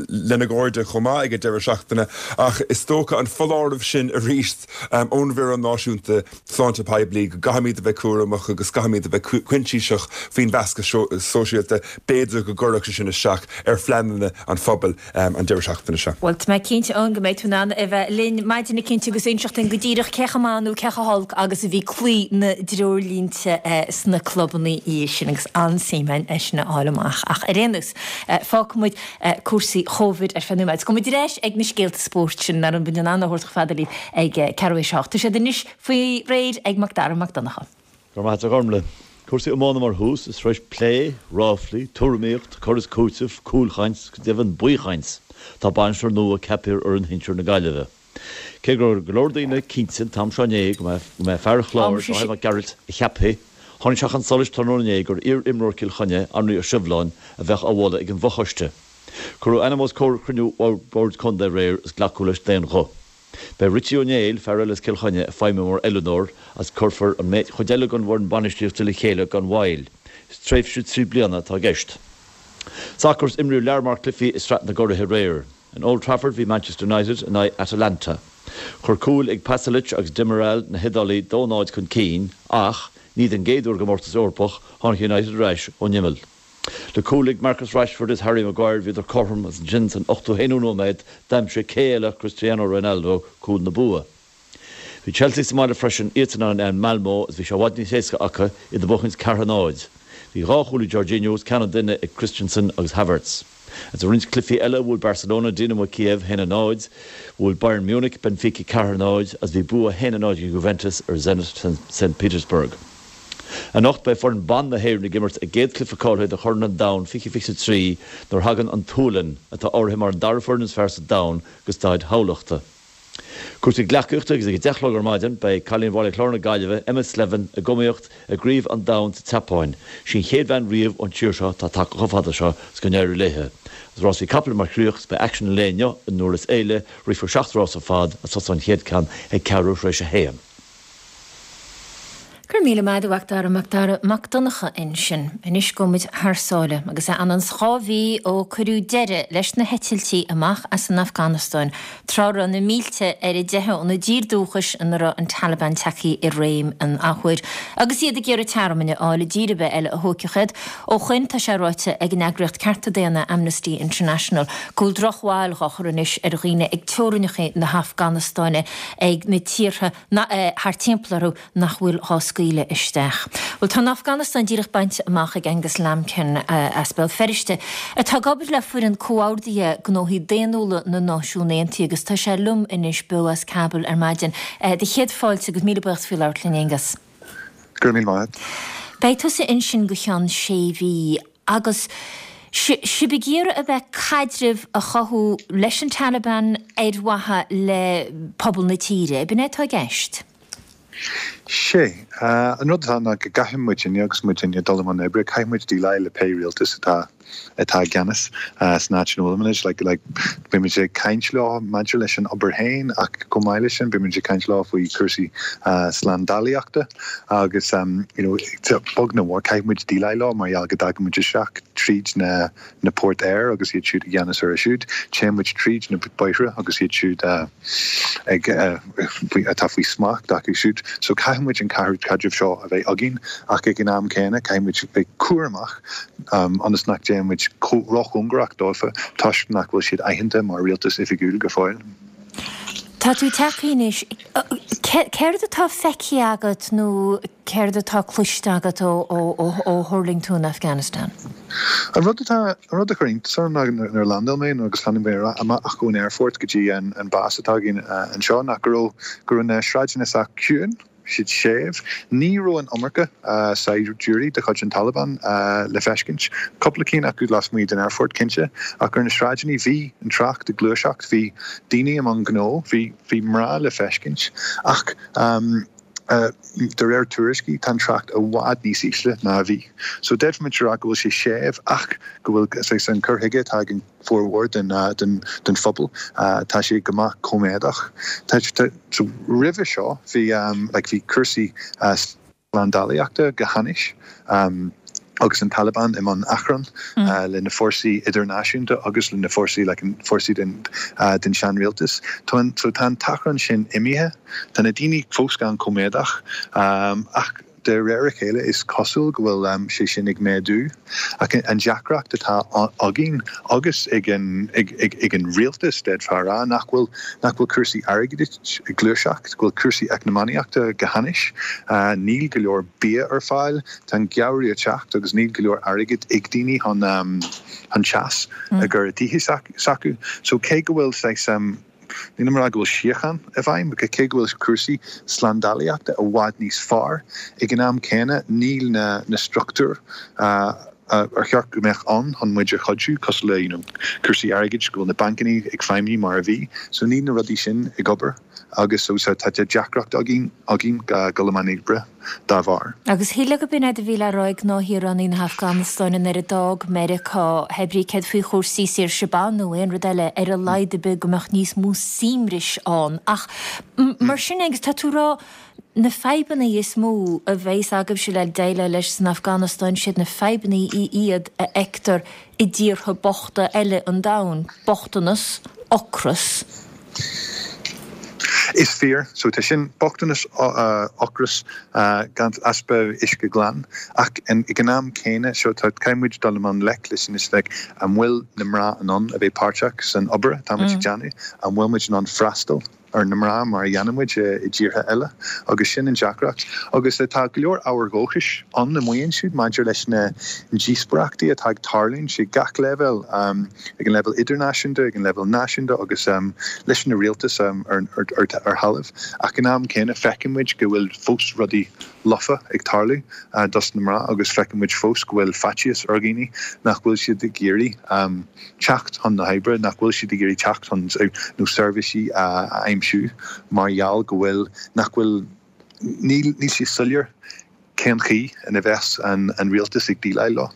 lena gcairde chomh maith ag an deireadh seachtaine ach is dócha an foláireamh sin arís ón bhFoireann Náisiúnta Sláinte Poiblí go gcaithfimid a bheith cúramach agus caithfimid a bheith coinsiasach faoin mheascadh sóisialta, b'fhéidir go gcuirfeadh sé sin isteach ar phleananna an phobail an deireadh seachtaine seo. Bhuel, tá mé cinnte, Eoin, go mbeidh tú in ann a bheith linn maidin eicínt agus inseacht dúinn go díreach cé chomh maith nó cé chomh holc agus a bhí cloí na dtreoirlínte sna clubanna oíche sin agus an-suim againn é sin a fháil amach. Ach ar aon nós, fágfaidh muid cúrsaí Chóivid ar feadh nóiméid. Is gabhfaidh muid ar ais ag na scéalta spóirt sin nach raibh muid in ann a thabhairt chomh fada libh ag ceathrú théis a hocht. Tá siad anois faoi réir ag Mac Dara Mac Donncha. Go raibh maith agat a Ghormlaith. Cúrsaí iomána mar thús, is tar éis plé, ráflaí, tuairimíocht, cur is cúiteamh, cúlchaint, go deimhin baothchaint, tá bainisteoir nua ceaptha ar fhoireann shinsir na Gaillimhe. Cé go raibh go leor daoine cinnte an t-am seo inné go mba é fear an Chláir, Dáithí Mac Gearailt, a cheapfaí, tháinig sé chun solais tráthnóna inné gur iar-imreoir Chill Chainnigh, Anraí Ó Sibhleáin, a bheadh á mholadh ag an bhfochoiste. Cuireadh a ainm os comhair chruinniú Bhoird Contae aréir is glacadh leis d'aon ghuth. Beidh Richie Ó Néill, fear eile as Cill Chainnigh, ag feidhmiú mar oiliúnóir agus cuirfear an chuid eile den bhfoireann bainistíochta le chéile gan mhoill. Is tréimhse 3 bliana atá i gceist. Sacar is imríodh lear mór cluichí i Sraith na gCuraithe aréir. In Old Trafford bhí Manchester United in aghaidh Atalanta. Chuir cúil ag Pasalic agus Demiral na hIodálaigh 2-0 chun cinn ach, ní den gcéad uair i gcomórtas Eorpach, tháinig United ar ais ón imeall. Le cúil ag Marcus Rashford is Harry Maguire bhíodar cothrom agus ansin san 81ú nóiméad d'aimsigh cé eile ach Cristiano Ronaldo cúl na bua. Bhí Chelsea sa mbaile freisin, iadsan in aghaidh Malmo agus bhí sé i bhfad níos éasca acu iad ag buachaint 4-0. Bhí dhá chúl ag Jorginho is ceann an duine ag Christensen agus Havertz. Agus i roinnt cluichí eile bhuail Barcelona Dinamo Kiev 1-0, bhuail Bayern Munich Benfica 4-0 agus bhí bua 1-0 ag Juventus ar Zenit St Petersburg. Anocht beidh foireann ban na hÉireann ag imirt a gcéad chluiche cáilithe do Chorn an Domhain 2023 nuair a thagann an tSualainn, atá áirithe mar an dara foireann is fearr sa domhan, go Staid Thamhlachta. Cúrsaí gleacaíochta agus ag a 10 a chlog ar maidin beidh cailín Bhaile Chláir na Gaillimhe, Emma Slevin, ag iomaíocht i gCraobh an Domhain sa tSeapáin. Sí an chéad bhean riamh ón tír seo atá tagtha chomh fada seo is go n-éirí léithe. Agus rásaí capaill mar chríoch is beidh aicsean an lae inniu i nDurlas Éile, rithfear 7 rás ar fad agus tosóidh an chéad ceann ag ceathrú tar éis a haon. Go raibh míle maith agat a Mhac Dara, Mac Dara Mac Donncha ansin. Anois gabhfaidh muid thar sáile agus é anonn 's 2 mhí ó cuireadh deireadh leis na heitiltí amach as an Afganastáin, tráth a raibh na mílte ar a dteitheadh óna dtír dúchais ina raibh an Taliban tagtha i réim an athuair agus iad ag iarraidh tearmainn a fháil i dtír ar bith eile a thógfadh iad. Ó shoin tá sé ráite ag an eagraíocht cearta daonna Amnesty International go bhfuil drochbhail dhá chur anois ar dhaoine ag teorainneacha na hAfganastáine ag na tíortha thart timpeall orthu nach bhfuil dhá scaoileadh isteach. Bhuel, tá an Afganastáin díreach bainte amach ag Angus Lambkin as Béal Feirste, atá ag obair le foireann comhordaithe gnóthaí daonnúla na Náisiún Aontaithe agus tá sé liom anois beo as Kabul ar maidin. Do chéad fáilte agus míle buíochas faoi labhairt linn, Angus. Go raibh míle maith agat. Beidh tusa ansin go cheann sé mhí. Agus sibh ag iarraidh a bheith caidreamh a chothú leis an Taliban ar mhaithe le pobal na tíre, ab in é atá i gceist? Sé. An rud atá ná go gcaithfidh muidinne agus muidinne dul i mbun oibre, caithfidh muid déileáil le pé rialtas atá atá i gceannas san áit ina bhfuilimid. Like, like, beimid ag caint leo maidir leis an obair féin ach chomh maith leis sin beimid ag caint leo faoi chúrsaí slándálaíochta. Agus, you know, beag nó mór, caithfidh muid déileáil leo mar gheall go dtagann muid isteach tríd na, na poirt aeir agus iad siúd i gceannas orthu siúd. Téann muid tríd na bóithre agus iad siúd ag, faoi, atá faoi smacht acu siúd. So caithfidh muid an caidreamh seo a bheith againn ach ag an am céanna caithfidh muid bheith cúramach ionas nach dtéann muid róchóngarach dófa toisc nach bhfuil siad aitheanta mar rialtas oifigiúil go fóill. Tá tú tagtha anois. Céard atá feicthe agat nó céard atá cloiste agat ó thuirling tú in Afghanistan? An rud atá, an rud a chuir iontas orm ná nuair a landáil mé nó agus tháinig mé amach ón aerfort go dtí an bás atá againn anseo ná go raibh, go raibh na sráideanna sách ciúin. siad séimh. Ní raibh an iomarca saighdiúirí de chuid an Taliban le feiscint. Cúpla cinn acu lasmuigh den aerfort, cinnte, ach ar na sráideanna bhí an trácht ag gluaiseacht, bhí daoine i mbun gnó, bhí bhí mná le feiscint. Ach de réir tuairiscí, tá an trácht i bhfad níos ísle ná a bhí. So d'fhéadfaimis a rá go bhfuil sé séimh ach go bhfuil saghas an cur chuige atá ag an formhór den phobal. Tá sé go maith cóiméadach. So roimhe seo bhí like bhí cúrsaí slándálaíochta go hainnis agus an Taliban i mbun achrann le na fórsaí idirnáisiúnta agus le na fórsaí like an fórsaí den den seanrialtas. Tá an so tá an t-achrann sin imithe. Tá na daoine fós an-chóiméadach ach De réir a chéile is cosúil go bhfuil sé sin ag méadú. Ach an deacracht atá againn agus ag an ag an rialtas, d'fhéadfá a rá, nach bhfuil nach bhfuil cúrsaí airgeadais ag gluaiseacht, go bhfuil cúrsaí eacnamaíochta go hainnis. Níl go leor bia ar fáil, tá an geimhreadh ag teacht agus níl go leor airgid ag daoine chun chun teas a chur i dtithe s'acu. So cé go bhfuil saghas. Nílim ag rá go bhfuil síocháin i bhfeidhm, cé go bhfuil cúrsaí slándálaíochta i bhfad níos fearr, ag an am céanna níl na na struchtúir ar cheart go mbeadh ann chun muid a chuidiú, cosúil le you know cúrsaí airgid, go bhfuil na bancanna ag feidhmiú mar a bhí. So níl na rudaí sin ag obair agus so tá deacracht againn againn dul i mbun oibre. dá bharr. Agus shílfeá gurb in é a bhí le rá ag gnáthshaoránaigh na hAfganastáine nuair a d'fhág Meiriceá, hé brí céard faoi chúrsaí saoirse ban nó aon rud eile, ar a laghad ar bith go mbeadh níos mó suaimhnis ann. Ach mar sin agus tá tú ag rá na fadhbanna is mó a bheas agaibhse le déileáil leis san Afganastáin, siad na fadhbanna iad a fheictear i dtíortha bochta eile an domhain, bochtanas, ocras. Is fíor. So tá sin, bochtanas, ocras, gan easpa uisce glan. Ach ag an am céanna, so tá, caithfidh muid dul i mbun gleic leis anois, like, an bhfuil na mná in ann a bheith páirteach san obair atá muid ag déanamh? An bhfuil muid in ann freastal ar na mná mar a dhéanann muid i dtíortha eile? Agus sin an deacracht. Agus tá go leor ábhair dhóchais ann amuigh ansiúd maidir leis na díospóireachtaí atá ag tarlúint ag gach leibhéal. ag an leibhéal idirnáisiúnta, ag an leibhéal náisiúnta agus leis na rialtais ar thalamh. Ach ag an am céanna feiceann muid go bhfuil fós rudaí lofa ag tarlú dos na mná agus feiceann muid fós go bhfuil faitíos ar dhaoine nach bhfuil siad ag iarraidh teacht chun na hoibre, nach bhfuil siad ag iarraidh teacht chun nó seirbhísí a aimsiú. aimsiú mar gheall go bhfuil, nach bhfuil, níl, níl sé soiléir cén chaoi ina bheas an rialtas ag déileáil leo.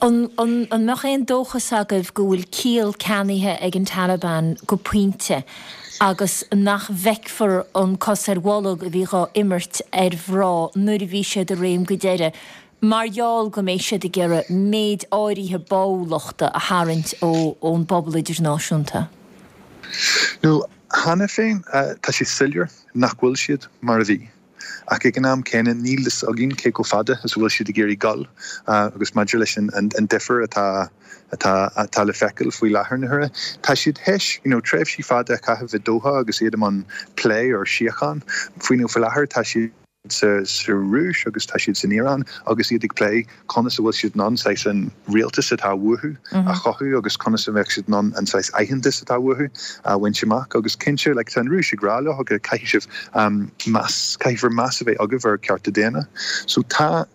An mbeadh aon dóchas agaibh go bhfuil ciall ceannaithe ag an Taliban go pointe agus nach bhfeicfear an cos ar bholg a bhí dhá imirt ar mhná nuair a bhí siad i réim go deireadh mar gheall go mbeidh siad ag iarraidh méid áirithe báúlachta a tharraingt ón bpobal idirnáisiúnta? Nó cheana féin tá sé soiléir nach bhfuil siad mar a bhí. Ach ag an am céanna níl fhios againn cé chomh fada is a bhfuil siad ag iarraidh dul agus maidir leis an difear atá atá atá le feiceáil faoi láthair na huaire, tá siad théis you know tréimhsí fada a chaitheamh i Doha agus iad i mbun plé ar síocháin. Faoi you know faoi láthair tá siad sa sa Rúis agus tá siad san Iaráin agus iad ag plé conas a bhfuil siad in ann saghas an rialtas atá uathu a chothú agus conas a bheadh siad in ann an saghas aitheantas atá uathu a bhaint amach agus cinnte like tá an Rúis ag rá leo go caithfidh sibh meas, caithfear meas a bheith agaibh ar cearta daonna. So tá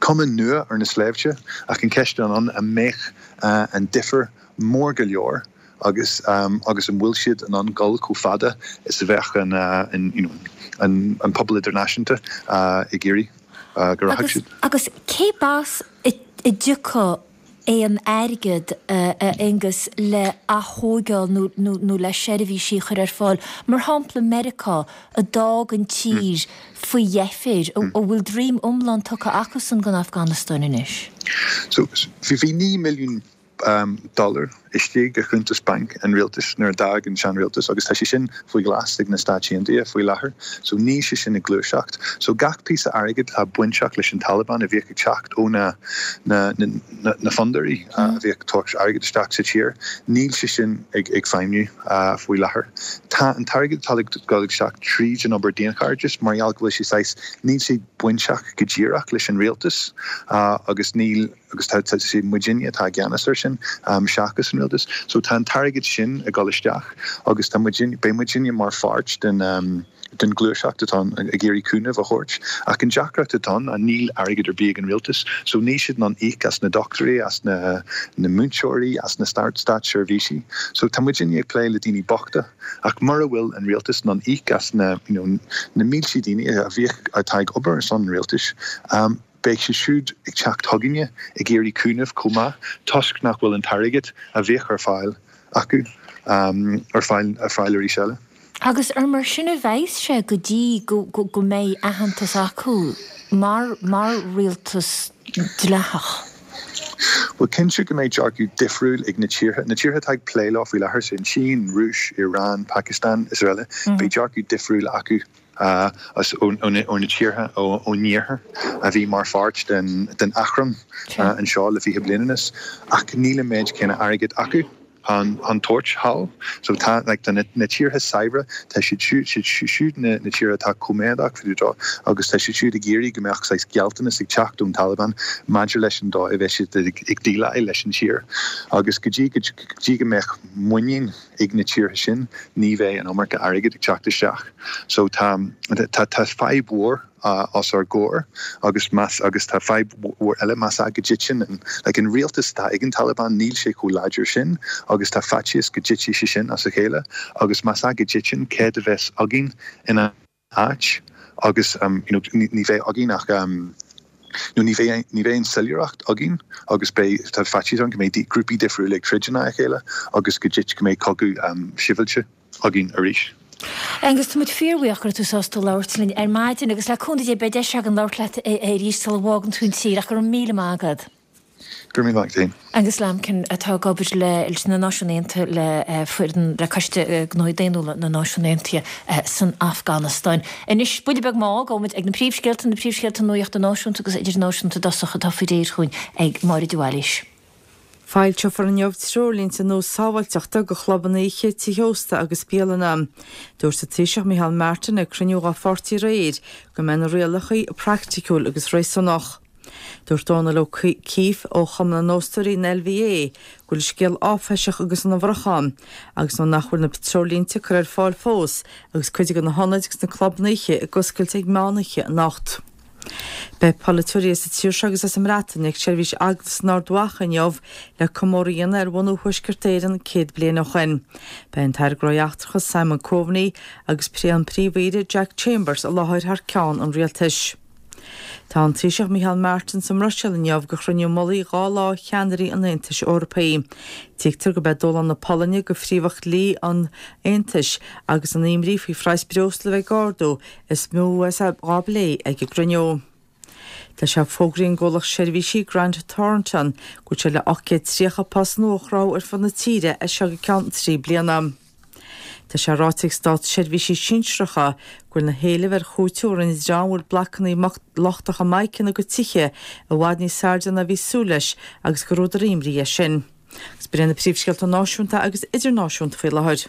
cuma nua ar na sléibhte ach an cheist atá ann an mbeadh an difear mór go leor agus agus an bhfuil siad in ann dul chomh fada is a bheadh an an you know an an pobal idirnáisiúnta ag iarraidh go rachadh siad. Agus cé b'as a dtiocfadh aon airgead, a Aonghus, le ath-thóigeáil nó nó le seirbhísí a chur ar fáil? Mar shampla Meiriceá, a d'fhág an tír faoi dheifir, an bhfuil droim iomlán tugtha acusan don Afganastáin anois? So bhí 9 milliún dollar istigh i chuntas bainc an rialtais nuair a d'fhág an seanrialtas agus tá sé sin faoi ghlas ag na Stáit Aontaithe faoi láthair. So níl sé sin ag gluaiseacht. So gach píosa airgid atá bainteach leis an Taliban a bhíodh ag teacht ó na na na na fondúirí a bhíodh ag tabhairt airgid isteach sa tír, níl sé sin ag ag feidhmiú faoi láthair. Tá an t-airgead atá ag dul isteach tríd an obair daonchairdis mar gheall go bhfuil sé saghas, níl sé bainteach go díreach leis an rialtas agus níl, agus tá sé muidinne atá i gceannas air sin seachas an rialtas. So tá an t-airgead sin ag dul isteach agus tá muidinne, beidh muidinne mar pháirt den den ghluaiseacht atá ann ag iarraidh cúnamh a thabhairt. Ach an deacracht atá ann ná níl airgead ar bith ag an rialtas so níl siad in ann íoc as na dochtúirí, as na na múinteoirí, as na státseirbhísí. So tá muidinne ag plé le daoine bochta ach mura bhfuil an rialtas in ann íoc as na you know na mílte daoine a bhíodh atá ag obair ar son an rialtais, Beidh siad siúd ag teacht chugainne ag iarraidh cúnamh chomh maith toisc nach bhfuil an t-airgead a bhíodh ar fáil acu ar fáil ar fáil arís eile. Agus ar mar sin a bheas sé go dtí go go mbeidh aitheantas acu mar mar rialtas dleathach? Bhuel, cinnte go mbeidh dearcadh difriúil ag na tíortha, na tíortha atá ag plé leo faoi láthair, sin Sín, Rúis, Iran, Pakistan is araile, beidh dearcadh difriúil acu. as ó na tíortha ón iarthar a bhí mar pháirt den achrann anseo le 20 bliain anuas ach níl an méid céanna airgid acu chun tabhairt thall. So tá like tá na tíortha saibhre, tá siad siúd siad siúd na tíortha atá coimeádach fá dtaobh dó agus tá siad siúd ag iarraidh go mbeadh saghas gealltanas ag teacht ón Taliban maidir leis an dóigh a bheidh siad ag déileáil leis an tír agus go dtí go dtí go mbeadh muinín ag na tíortha sin, ní bheidh an iomarca airgid ag teacht isteach. So tá, tá, tá fadhb mhór os ár gcomhair agus más, agus tá fadhb mhór eile más ea go dtiteann an, like an rialtas atá ag an Taliban, níl sé chomh láidir sin agus tá faitíos go dtitfidh sé sin as a chéile agus más ea go dtiteann, céard a bheas againn ina áit agus you know ní bheidh againn ach nó ní bheidh ní bheidh an soiléireacht againn agus beidh tá faitíos ann go mbeidh grúpaí difriúla ag troid in aghaidh a chéile agus go dtit go mbeidh cogadh sibhialta againn arís. Aengus, tá muid fíorbhuíoch go raibh tú sásta labhairt linn ar maidin agus le cúnamh Dé beidh deis againn labhairt leat arís sula bhfágann tú an tír ach go raibh míle maith agat. Go raibh míle maith agat féin. Aengus Lambkin atá ag obair leis na Náisiúin Aontaithe le foireann le Coiste Gnóthaí Daonnúla na Náisiún Aontaithe san Afganastáin. Anois, buille beag mall, gabhfaidh muid ag na príomhscéalta, na príomhscéalta nuachta náisiúnta agus idirnáisiúnta i dtosach atá faoi réir chugainn ag Máire de Bhailís. Foilseofar inniu treoirlínte nua sábháilteachta do chlubanna oíche, tithe ósta agus bialanna. Dúirt an Taoiseach Micheál Martin ag cruinniú dá pháirtí aréir go mbeidh na rialacha praiticiúil agus réasúnach. Dúirt Dónal Ó Cíff ó Chumann na nÓstóirí, an LVA, go bhfuil scéal áiféiseach agus ana bhorrach ann agus nuair nach bhfuil na treoirlínte curtha ar fáil fós agus cuid de na hionaid agus na clubanna oíche ag oscailt ag meán oíche anocht. Beidh polaiteoirí as an tír seo agus as an mBreatain ag seirbhís eaglasta in Ard Mhacha inniu le comóradh a dhéanamh ar bhunú Thuaisceart Éireann 100 bliain ó shoin. Beidh an tAire Gnóthaí Eachtracha Simon Coveney agus an Príomh-Aoire Jack Chambers i láthair thar ceann an rialtais. Tá an Taoiseach Micheál Martin sa mBruiséil inniu do chruinniú mullaigh 2 lá cheannairí an Aontais Eorpaigh. Tuigtear gurb é dúshlán na Polainne do phríomhadh dlí an Aontais agus an imní faoi phraghas breosla a bheith ag ardú is mó a bheas á bplé ag an gcruinniú. Tá sé fógraithe ag an gcomhlacht seirbhísí Grant Thornton go bhfuil sé le 830 post nua a chruthú ar fud na tíre as seo go ceann 3 bliana. Tá sé ráite ag státseirbhísigh sinsearacha go bhfuil na héilimh ar chúiteamh a rinne dream a bhfuair blocanna lochtacha mica ina gcuid tithe i bhfad níos airde ná a bhí súil leis agus gur údar imní é sin. Agus b'in iad na príomhscéalta náisiúnta agus idirnáisiúnta faoi láthair.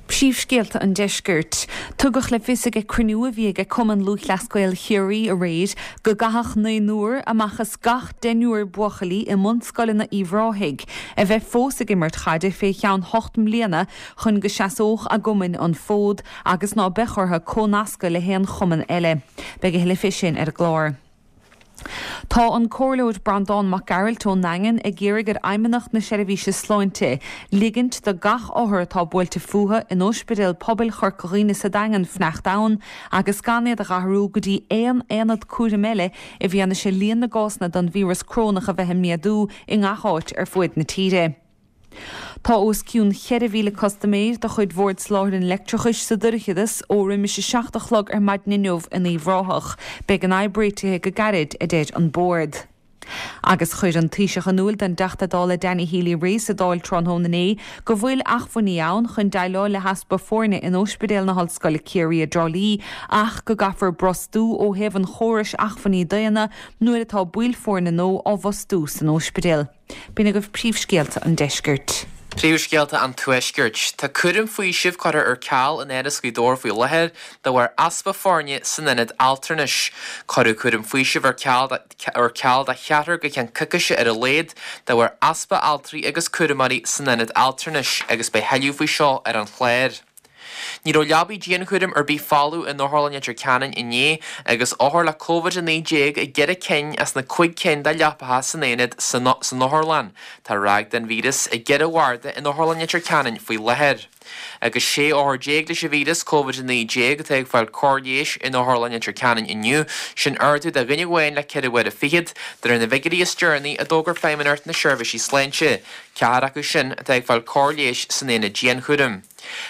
Príomhscéalta an Deiscirt. Tugadh le fios ag cruinniú a bhí ag Cumann Lúthchleas Gael Chiarraí aréir go gcaithfeadh naonúr amach as gach deichniúr buachaillí i mbunscoileanna Uíbh Ráthaigh a bheith fós ag imirt chaide fé cheann hocht mbliana chun go seasódh a gcumainn an fód agus ná beadh orthu comhnascadh le haon chumann eile. Beidh a thuilleadh fé sin ar an gclár. Tá an Comhairleoir Breandán Mac Gearailt ón nDaingean ag iarraidh ar Fheidhmeannacht na Seirbhíse Sláinte ligint do gach othar atá buailte fúthu in Ospidéal Pobail Chorca Dhuibhne sa Daingean fanacht ann agus gan iad a dh'athrú go dtí aon aonad cúraim eile i bhfianaise líon na gcásanna den víreas corónach a bheith ag méadú i ngach áit ar fuaid na tíre. Tá os cionn 4,000 custaiméir de chuid Bhord Soláthair an Leictreachais sa dorchadas ó roimis a 7 a chlog ar maidin inniu in Uíbh Ráthach. Beidh an fhadhb réitithe go gairid, a deir an Bord. Agus chuir an Taoiseach in iúil don dTeachta Dála Danny Healy-Rae sa Dáil tráthnóna inné go bhfuil acmhainní ann chun déileáil le heaspa foirne in Ospidéal na hOllscoile Ciarraí i dTrá Lí ach go gcaithfear brostú ó thaobh an chórais acmhainní daonna nuair atá baill foirne nua á bhfostú san ospidéal. B'in agaibh príomhscéalta an deiscirt. Príomhscéalta an Tuaiscirt. Tá cúram faoisimh curtha ar ceal in Áras Ghaoth Dobhair faoi láthair de bharr easpa foirne san ionad altranais. Cuireadh cúram faoisimh ar ceal ar ceal do cheathrar go ceann coicíse ar a laghad de bharr easpa altraí agus cúramóirí san ionad altranais agus beidh thuilleadh faoi seo ar an chlár. Ní raibh leabaí dianchúraim ar bith folamh in Otharlann Leitir Ceanainn inné agus othair le Covid-19 i gceithre cinn as na cuig cinn de leapacha san aonad san otharlann. Tá ráig den víreas i gceithre bharda in Otharlann Leitir Ceanainn faoi láthair. Agus 16 othar leis an víreas Covid-19 atá ag fáil cóir leighis in Otharlann Leitir Ceanainn inniu, sin ardú de dhuine amháin le ceithre huaire fichead, de réir na bhfigiúirí is deireanaí a d'fhógair Feidhmeannacht na Seirbhísí Sláinte. Ceathrar acu sin atá ag fáil cóir leighis san aonad dianchúraim.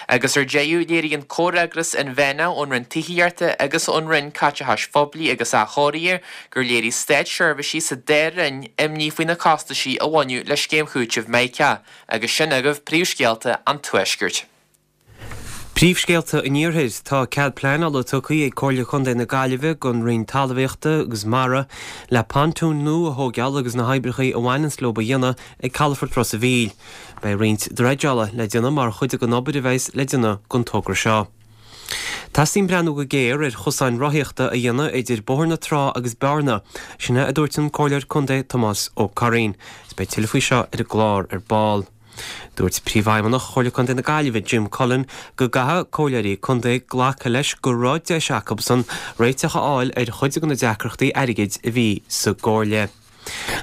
Agus ar deireadh, léiríonn comhfhreagras inmheánach ón Roinn Tithíochta agus ón Roinn Caiteachais Phoiblí agus Athchóirithe gur léirigh státseirbhísigh sa dá roinn imní faoi na costaisí a bhaineadh le Scéim Chúitimh Mica. Agus sin agaibh príomhscéalta an Tuaiscirt. Príomhscéalta an Iarthair. Tá cead pleanála tugtha ag Comhairle Contae na Gaillimhe don Roinn Talmhaíochta agus Mara le pontúin nua a thóigeáil agus na hoibreacha a bhaineanns leo a dhéanamh ag Calafort Ros a' Mhíl. Beidh roinnt dreideála le déanamh mar chuid den obair a bheas le déanamh don togra seo. Teastaíonn breathnú go géar ar chosáin rothaíochta a dhéanamh idir Bóthar na Trá agus Bearna, sin é a dúirt an Comhairleoir Contae Tomás Ó Curraoin. Is beidh tuilleadh faoi seo ar an gclár ar ball. Dúirt Príomhfheidhmeannach Chomhairle Contae na Gaillimhe, Jim Cullen, go gcaithfidh comhairleoirí contae glacadh leis go raibh deis acusan réiteach a fháil ar chuid de na deacrachtaí airgid a bhí sa gcomhairle.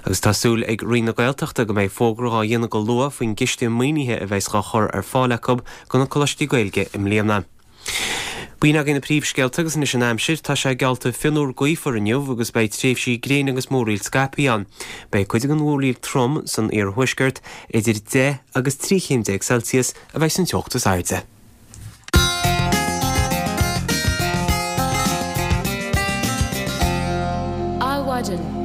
Agus tá súil ag Roinn na Gaeltachta go mbeidh fógra dhá dhéanamh go luath faoin gciste maoinithe a bheas dhá chur ar fáil acu do na coláistí Gaeilge i mbliana. B'in agaibh na príomhscéalta agus anois an aimsir. Tá sé geallta fionnuar gaofar inniu agus beidh tréimhsí gréine agus múraíl scaipthe ann. Beidh cuid den mhúraíl trom san iarthuaisceart, idir 10 agus 13 chéim Celsius a bheidh san teocht is airde. Adhmhaidin.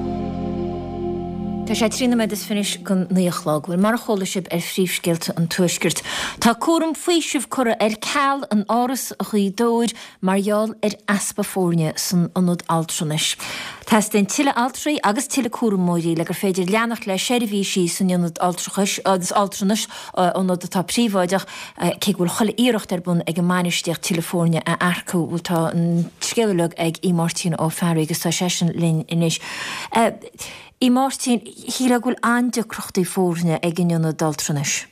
Tá sé 13 nóiméad is fiche don naoi a chlog. Bhuel, mar a chuala sibh ar phríomhscéalta an Tuaiscirt, tá cúram faoisimh curtha ar ceal in Áras Ghaoth Dobhair mar gheall ar easpa foirne san ionad altranais. Teastaíonn tuilleadh altraí agus tuilleadh cúramóirí le gur féidir leanacht le seirbhísí san ionad altranais, ionad atá príobháideach, Cé go bhfuil chuile iarracht ar bun ag an mbainistíocht tuilleadh foirne a earcú, bhuel tá an scéal uilig ag Aodh Máirtín Ó Fearraigh agus tá seisean linn anois. Aodh Máirtín, shílfeá go bhfuil an-deacrachtaí foirne ag an ionad altranais.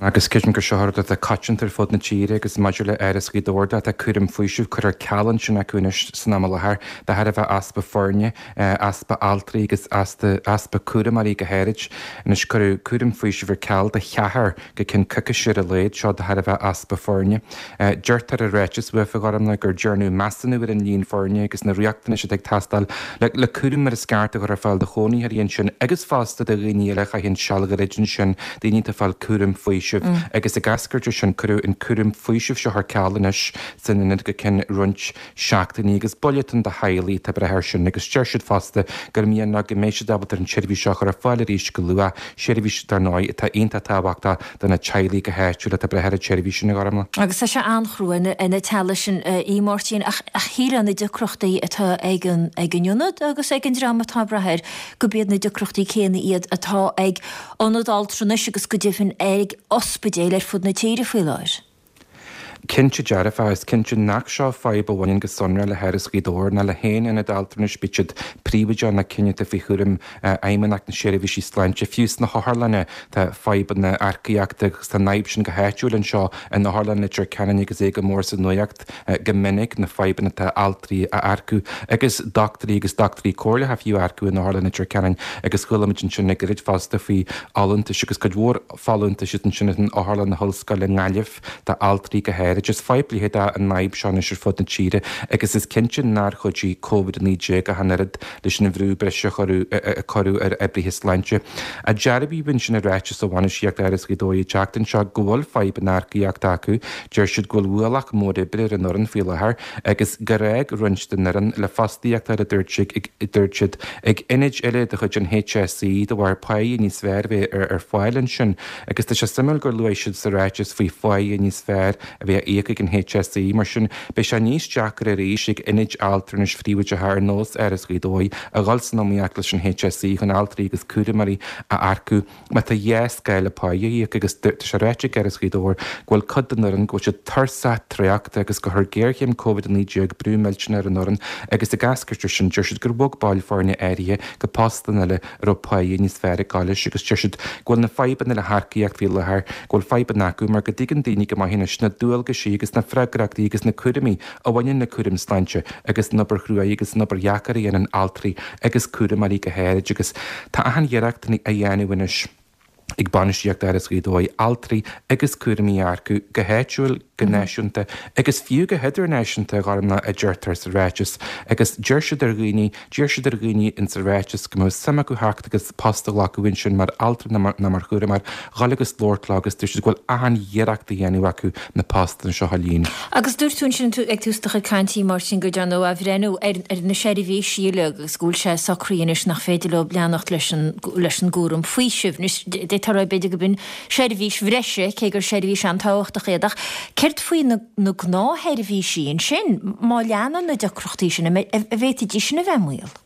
Agus creidim gur seo rud atá coitianta ar fud na tíre agus maidir le Áras Ghaoth Dobhair de, tá cúram faoisimh curtha ar ceal ansin acu anois san am i láthair de thairbhe easpa foirne, easpa altraí agus easpa cúramóirí go háirid. Anois cuireadh cúram faoisimh ar ceal do cheathrar go ceann coicíse ar a laghad, seo de thairbhe easpa foirne. Deirtear i ráiteas uafa, a Ghormlaith, gur dearnadh measúnú ar an líon foirne agus na riachtanais atá ag teastáil le cúram mar is ceart a chur ar fáil do chónaitheoirí ansin agus fosta do dhaoine eile a chaitheann seal ghairid ansin, daoine atá ag fáil cúram faoisimh. Agus ag eascairt as sin, cuireadh an cúram faoisimh seo ar ceal anois san ionad go ceann roinnt seachtainí agus buille atá ann do theaghlaigh atá ag brath air sin agus deir siad fosta gur mian leo go mbeidh siad ábalta an tseirbhís seo a chur ar fáil arís go luath, seirbhís, dar ndóigh, atá iontach tábhachtach do na teaghlaigh go háitiúil atá ag brath ar an tseirbhís sin, a Ghormlaith. Agus tá sé an-chrua ar na teaghlaigh sin, a Mháirtín, ach shílfeá na deacrachtaí atá ag an ag an ionad agus ag an dream atá ag brath air, gurb iad na deacrachtaí céanna iad atá ag ionaid altranais agus go deimhin ag ospidéil ar fud na tíre faoi láthair. Cinnte dearfa, is cinnte nach seo fadhb a bhaineann go sonrath le hÁras Ghaoth Dobhair ná le haon ionad altranais, bíodh siad príobháideach nó cinn atá faoi chúram Fheidhmeannacht na Seirbhísí Sláinte. Fiú sna hotharlanna tá fadhbanna earcaíochta agus tá an fhadhb sin go háitiúil anseo in Otharlann Leitir Ceanainn agus é go mór sa nuacht go minic, na fadhbanna atá altraí a earcú agus dochtúirí agus dochtúirí comhairleacha fiú a earcú in Otharlann Leitir Ceanainn agus chuala muid ansin le gairid fosta faoi fholúntais agus cuid mhór folúntais ansin in Otharlann na hOllscoile i nGaillimh d'altraí go háirid. Is fadhb leitheadach an fhadhb seo anois ar fud na tíre agus is cinnte nár chuidigh Covid-19 ach an oiread leis an bhrú breise a cuireadh ar oibrithe sláinte. Dearbhaíodh ansin i ráiteas ó bhainistíocht Áras Ghaoth Dobhair an tseachtain seo go bhfuil fadhb an earcaíochta acu. Deir siad go bhfuil ualach mór oibre ar an fhoireann faoi láthair agus gur fhág roinnt den fhoireann le fostaíocht a dúirt siad, ag ionaid eile de chuid an HSE de bharr páighe níos fearr a bheith ar fáil ansin agus tá sé suimiúil gur luaigh siad sa ráiteas faoi pháighe níos fearr a bheith á íoc ag an HSE. Mar sin, beidh sé níos deacra arís ag ionaid altranais phríobháideacha ar nós Áras Ghaoth Dobhair a dhul san iomaíocht leis an HSE chun altraí agus cúramóirí a earcú. Má tá dhá scála páighe á íoc agus tá sé ráite ag Áras Ghaoth Dobhair go bhfuil cuid den fhoireann go bhfuil siad tuirseach traochta agus gur chuir géarchéim Covid-19 brú millteanach ar an fhoireann agus ag eascairt as sin deir siad gur bhog baill foirne áirithe go postanna eile a raibh páighe níos fearr ag gabháil leis agus deir siad go bhfuil na fadhbanna le hearcaíocht faoi láthair go bhfuil fadhbanna acu mar go dtuigeann daoine go maith anois na dualgaisí agus na freagrachtaí agus na cúraimí a bhaineann le cúram sláinte agus an obair chruaidh agus an obair dheacair a dhéanann altraí agus cúramóirí go háirid agus tá achan iarracht á dhéanamh anois ag bainistíocht Áras Ghaoth Dobhair altraí agus cúramóirí a earcú go háitiúil, go náisiúnta agus fiú go hidirnáisiúnta, a Ghormlaith, a deirtear sa ráiteas agus deir siad ar dhaoine, D'iarr siad ar dhaoine insa ráiteas go mbeadh suim acu theacht agus post a ghlacadh ansin mar altra nó mar chúramóir, dhul agus labhairt leo agus dúirt siad go bhfuil achan iarracht á dhéanamh acu na postanna seo a líonadh. Agus dúirt tú ansin ag tús do chuid cainte, a Mháirtín, gur dearnadh athbhreithniú ar na seirbhísí uilig agus go bhfuil sé socraithe anois nach féidir leo leanacht leis an leis an gcúram faoisimh. Anois, d'fhéadfá a rá b'fhéidir gurb in seirbhís bhreise, cé gur seirbhís an-tábhachtach iad, ach céard faoi na na gnáthsheirbhísí ansin, má leanann na deacrachtaí sin, an bhféadfaidís sin a bheith i mbaol?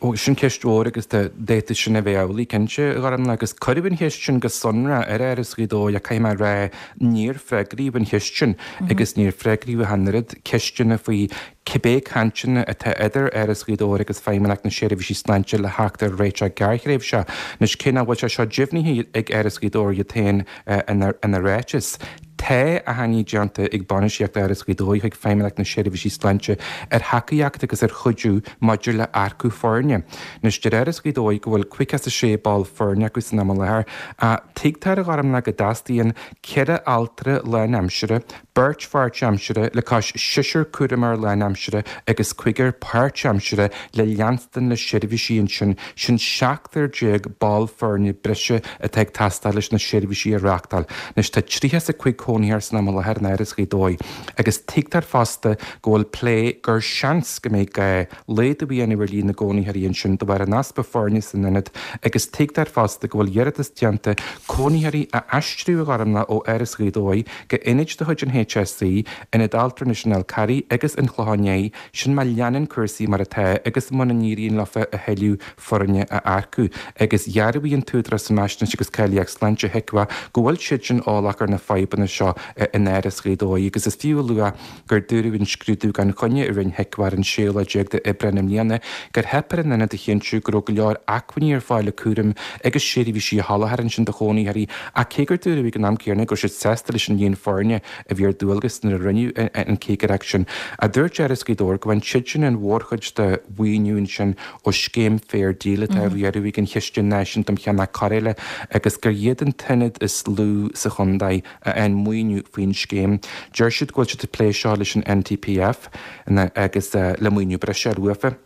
Ó, sin ceist mhór agus d'fhéadfadh sin a bheith amhlaidh, cinnte, a Ghormlaith, agus cuireadh an cheist sin go sonrath ar Áras Ghaoth Dobhair ach caithfidh mé a rá, níor freagraíodh an cheist sin agus níor freagraíodh ach an oiread ceisteanna faoi cibé cainteanna atá idir Áras Ghaoth Dobhair agus Feidhmeannacht na Seirbhísí Sláinte le theacht ar réiteach gearrthréimhseach. Anois, cé nach bhfuil sé seo deimhnithe ag Áras Ghaoth Dobhair iad féin ina ráiteas, Tá achainí déanta ag bainistíocht Áras Ghaoth Dobhair chuig Feidhmeannacht na Seirbhísí Sláinte ar thacaíocht agus ar chuidiú maidir le earcú foirne. Anois, deir Áras Ghaoth Dobhair go bhfuil 56 ball foirne acu san am i láthair, ach tuigtear a Ghormlaith go dteastaíonn 4 altra lánaimsire, beirt pháirtaimsire le cois seisear cúramóir lánaimsire agus cúigear páirtaimsire le leanstan le seirbhísí ansin, sin 17 ball foirne breise atá ag teastáil leis na seirbhísí a reáchtáil. Anois tá 35 cónaitheoir san am i láthair in Áras Ghaoth Dobhair agus tuigtear fosta go bhfuil plé gur seans go mbeidh gá laghdú a dhéanamh ar líon na gcónaitheoirí ansin de bharr an easpa foirne san ionad agus tuigtear fosta go bhfuil iarratas déanta cónaitheoirí a aistriú a Ghormlaith ó Áras Ghaoth Dobhair go ionaid de chuid an. HSE, Ionad Altranais an Fhál Carraigh agus an Chlocháin Léith, sin má leanann cúrsaí mar atá agus muna n-éiríonn leofa a thuilleadh foirne a earcú. Agus dhearbhaigh an tÚdarás um Fhaisnéis agus Cáilíocht Sláinte, HIQA, go bhfuil siadsan eolach ar na fadhbanna seo in Áras Ghaoth Dobhair agus is fiú a lua gur dúradh in scrúdú gan choinne a rinne HIQA ar an séú lá déag d'Aibreán i mbliana gur theip ar an ionad a chinntiú go raibh go leor acmhainní ar fáil le cúram agus seirbhísí a sholáthar ansin do chónaitheoirí ach cé gur dúradh ag an am céanna go raibh siad sásta leis an líon foirne a bhí ar dualgas nuair a rinneadh an chigireacht sin. Ach dúirt Áras Ghaoth Dobhair go bhfaigheann siadsan an mhórchuid de mhaoiniú ansin ó scéim Fair Deal atá á riaradh ag an Chiste Náisiúnta um Cheannach Cóireála agus gur iad an t-ionad is lú sa chontae a fhaigheann maoiniú faoin scéim. Deir siad go bhfuil siad ag plé seo leis an NTPF agus le maoiniú breise a fháil uafa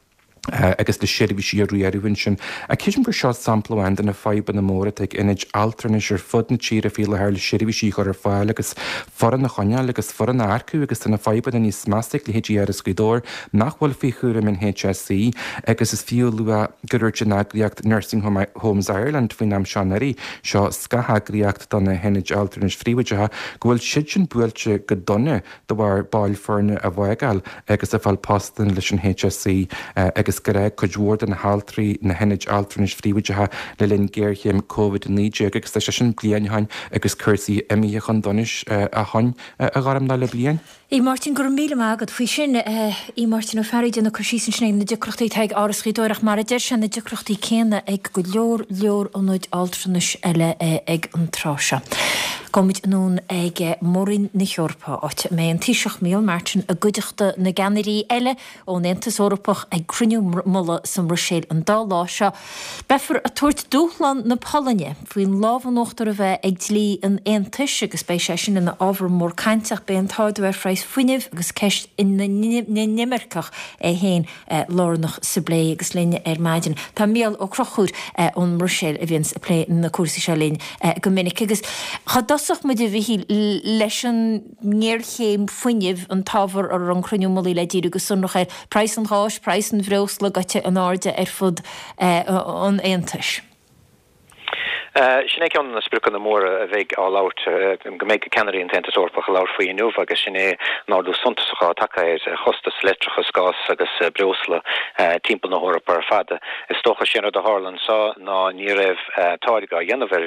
agus le seirbhísí a riaradh ansin. Ach creidim gur seo sampla amháin de na fadhbanna móra atá ag ionaid altranais ar fud na tíre faoi láthair le seirbhísí a chur ar fáil agus foireann a choinneáil agus foireann a earcú agus tá na fadhbanna níos measa ag leithéidí Áras Ghaoth Dobhair nach bhfuil faoi chúram an HSE agus is fiú a lua gur dhúirt an eagraíocht Nursing Homes Ireland faoin am seo anuraidh, seo scatheagraíocht do na hionaid altranais phríobháideacha, go bhfuil siadsan buailte go dona de bharr baill foirne a bhfágáil agus ag fáil postanna leis an HSE agus gur fhág cuid mhór de na haltraí na hionaid altranais phríobháideacha le linn géarchéim Covid-19 agus tá sé sin bliain ó shin agus cúrsaí imithe chun donais ó shin, a Ghormfhlaith, le bliain. A Mháirtín, go raibh míle maith agat faoi sin. A Mháirtín Ó Fearraigh, ag déanamh cur síos ansin ar na deacrachtaí atá ag Áras Ghaoth Dobhair ach mar a deir sé, na deacrachtaí céanna ag go leor leor ionaid altranais eile ag an tráth seo. Gabhfaimid anonn ag Mór-Roinn na hEorpa, áit a mbeidh an Taoiseach Micheál Martin i gcuideachta na gceannairí eile ón Aontas Eorpach ag cruinniú mullaigh sa mBruiséil an dá lá seo. Beifear ag tabhairt dúshlán na Polainne faoin lámh in uachtar a bheith ag dlí an Aontais agus beidh sé sin ina ábhar mór cainte ach beidh an t-ardú ar phraghas fuinnimh agus ceist na n-inimirceach é féin lárnach sa bplé agus linn ar maidin tá Mícheál Ó Conchúir ón mBruiséil a bhíonns ag plé na cúrsaí seo linn go minic agus cá dtosódh muid a Mhichíl leis an ngéarchéim fuinnimh an t-ábhar a raibh an cruinniú mullaigh le díriú go sonrach air, praghas an gháis, praghas an bhreosla gaibhte in airde ar fud an Aontais. Sin é ceann de na spriocanna móra a bheidh á labhairt, go mbeidh ceannairí an tAontas Eorpach ag labhairt faoi inniu agus sin é an ardú suntasach atá tagtha ar chostas leictreachais, gás agus breosla timpeall na hEorpa ar fad. Is dócha sé an rud a tharla anseo ná ní raibh táirgeadh á dhéanamh ar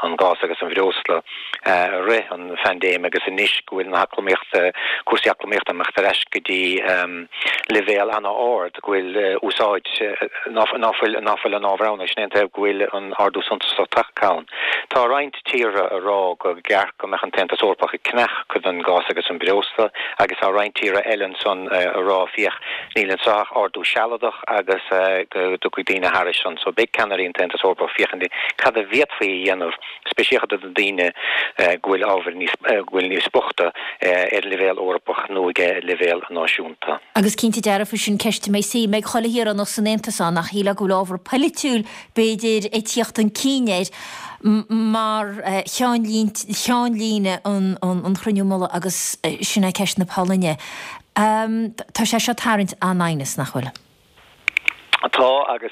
an gás agus an bhreosla i rith an phaindéim agus anois go bhfuil na heacnamaíochta, cúrsaí eacnamaíochta ag imeacht ar ais go dtí leibhéal an-ard, go bhfuil úsáid, ná fuil, ná fuil an ábhar ann agus sin é an taobh go bhfuil an ardú suntasach tagtha ann. Tá roinnt tíortha ag rá go gceart go mbeadh an tAontas Eorpach ag ceannach cuid den gás agus an breosla agus tá roinnt tíortha eile ansan ag rá féach níl anseo ach ardú sealadach agus go dtiocfaidh daoine thairis san. So beidh ceannairí an tAontas Eorpach ag féachaint cad a bhféadfaí a dhéanamh speisialta do daoine go bhfuil ábhar níos, go bhfuil níos boichte ar leibhéal Eorpach nó ag leibhéal náisiúnta. Agus cinnte dearfa sin ceist a mbeidh suim ag chuile shaoránach san Aontas ann ach shílfeá go bhfuil ábhar polaitiúil b'fhéidir ag tíocht chun cinn air mar cheannlíne an chruinniú mullaigh agus sin é ceist na Polainne. Tá sé seo ag tarraingt an-aighneas, nach bhfuil? Tá, agus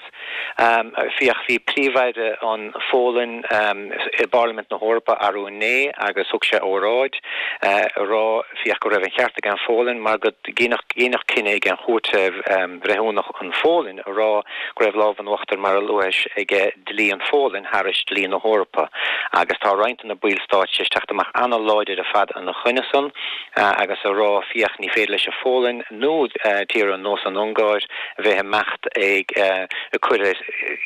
féach, bhí Príomh-Aire an Pholainn i bParlaimint na hEorpa arú inné agus thug sé óráid ag rá, féach, go raibh an cheart ag an Pholainn mar go deineadh cinneadh ag an Chúirt Bhreithiúnach an Pholainn ag rá go raibh lámh in uachtar, mar a luais, ag dlí an Pholainn thairis dlí na hEorpa agus tá roinnt de na ballstáit tar éis teacht amach an-láidir ar fad ina choinne san agus ag rá, féach, ní féidir leis an Pholainn nó tíortha ar nós an Ungáir a bheith ag imeacht ag cur ar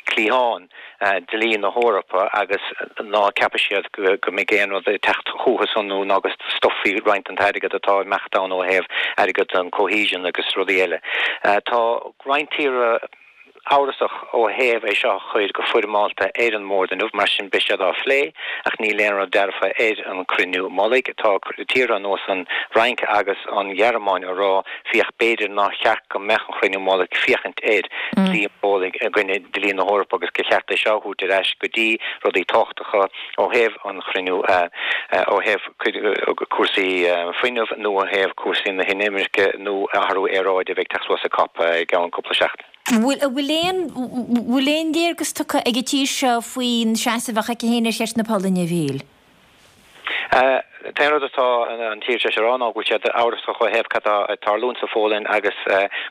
cliathán dlí na hEorpa agus ná ceapfaidh siad go mbeidh aon rud ag teacht chucu san nó ná go stopfaí roinnt den t-airgead atá ag imeacht ann ó thaobh airgead an cohesion agus rudaí eile. Tá roinnt tíortha amhrasach ó thaobh é seo a chur go foirmeálta ar an mbord inniu, mar sin beidh siad á phlé ach níl aon rud dearfa ar an chruinniú mullaigh. Tá tíortha ar nós an Fhrainc agus an Ghearmáin ag rá féach b'fhéidir nár cheart go mbeadh an chruinniú mullaigh ag féachaint ar dlí an Pholainn i gcoinne dlí na hEorpa agus gur cheart é seo a thabhairt ar ais go dtí rudaí tábhachtacha ó thaobh an chruinniú ó thaobh cúrsaí fuinnimh nó ó thaobh cúrsaí na hinimirce nó athrú aeráide a bheidh ag teacht suas ag COP i gceann cúpla seachtain. Bhfuil bhfuil aon bhfuil aon léargas tugtha ag an tír seo faoin seasamh a bheadh aici féin ar cheist na Polainne, a Mhichíl? An t-aon rud atá an tír tar éis a rá ná go bhfuil siad amhrasach ó thaobh cad tá ag tarlúint sa Phólainn agus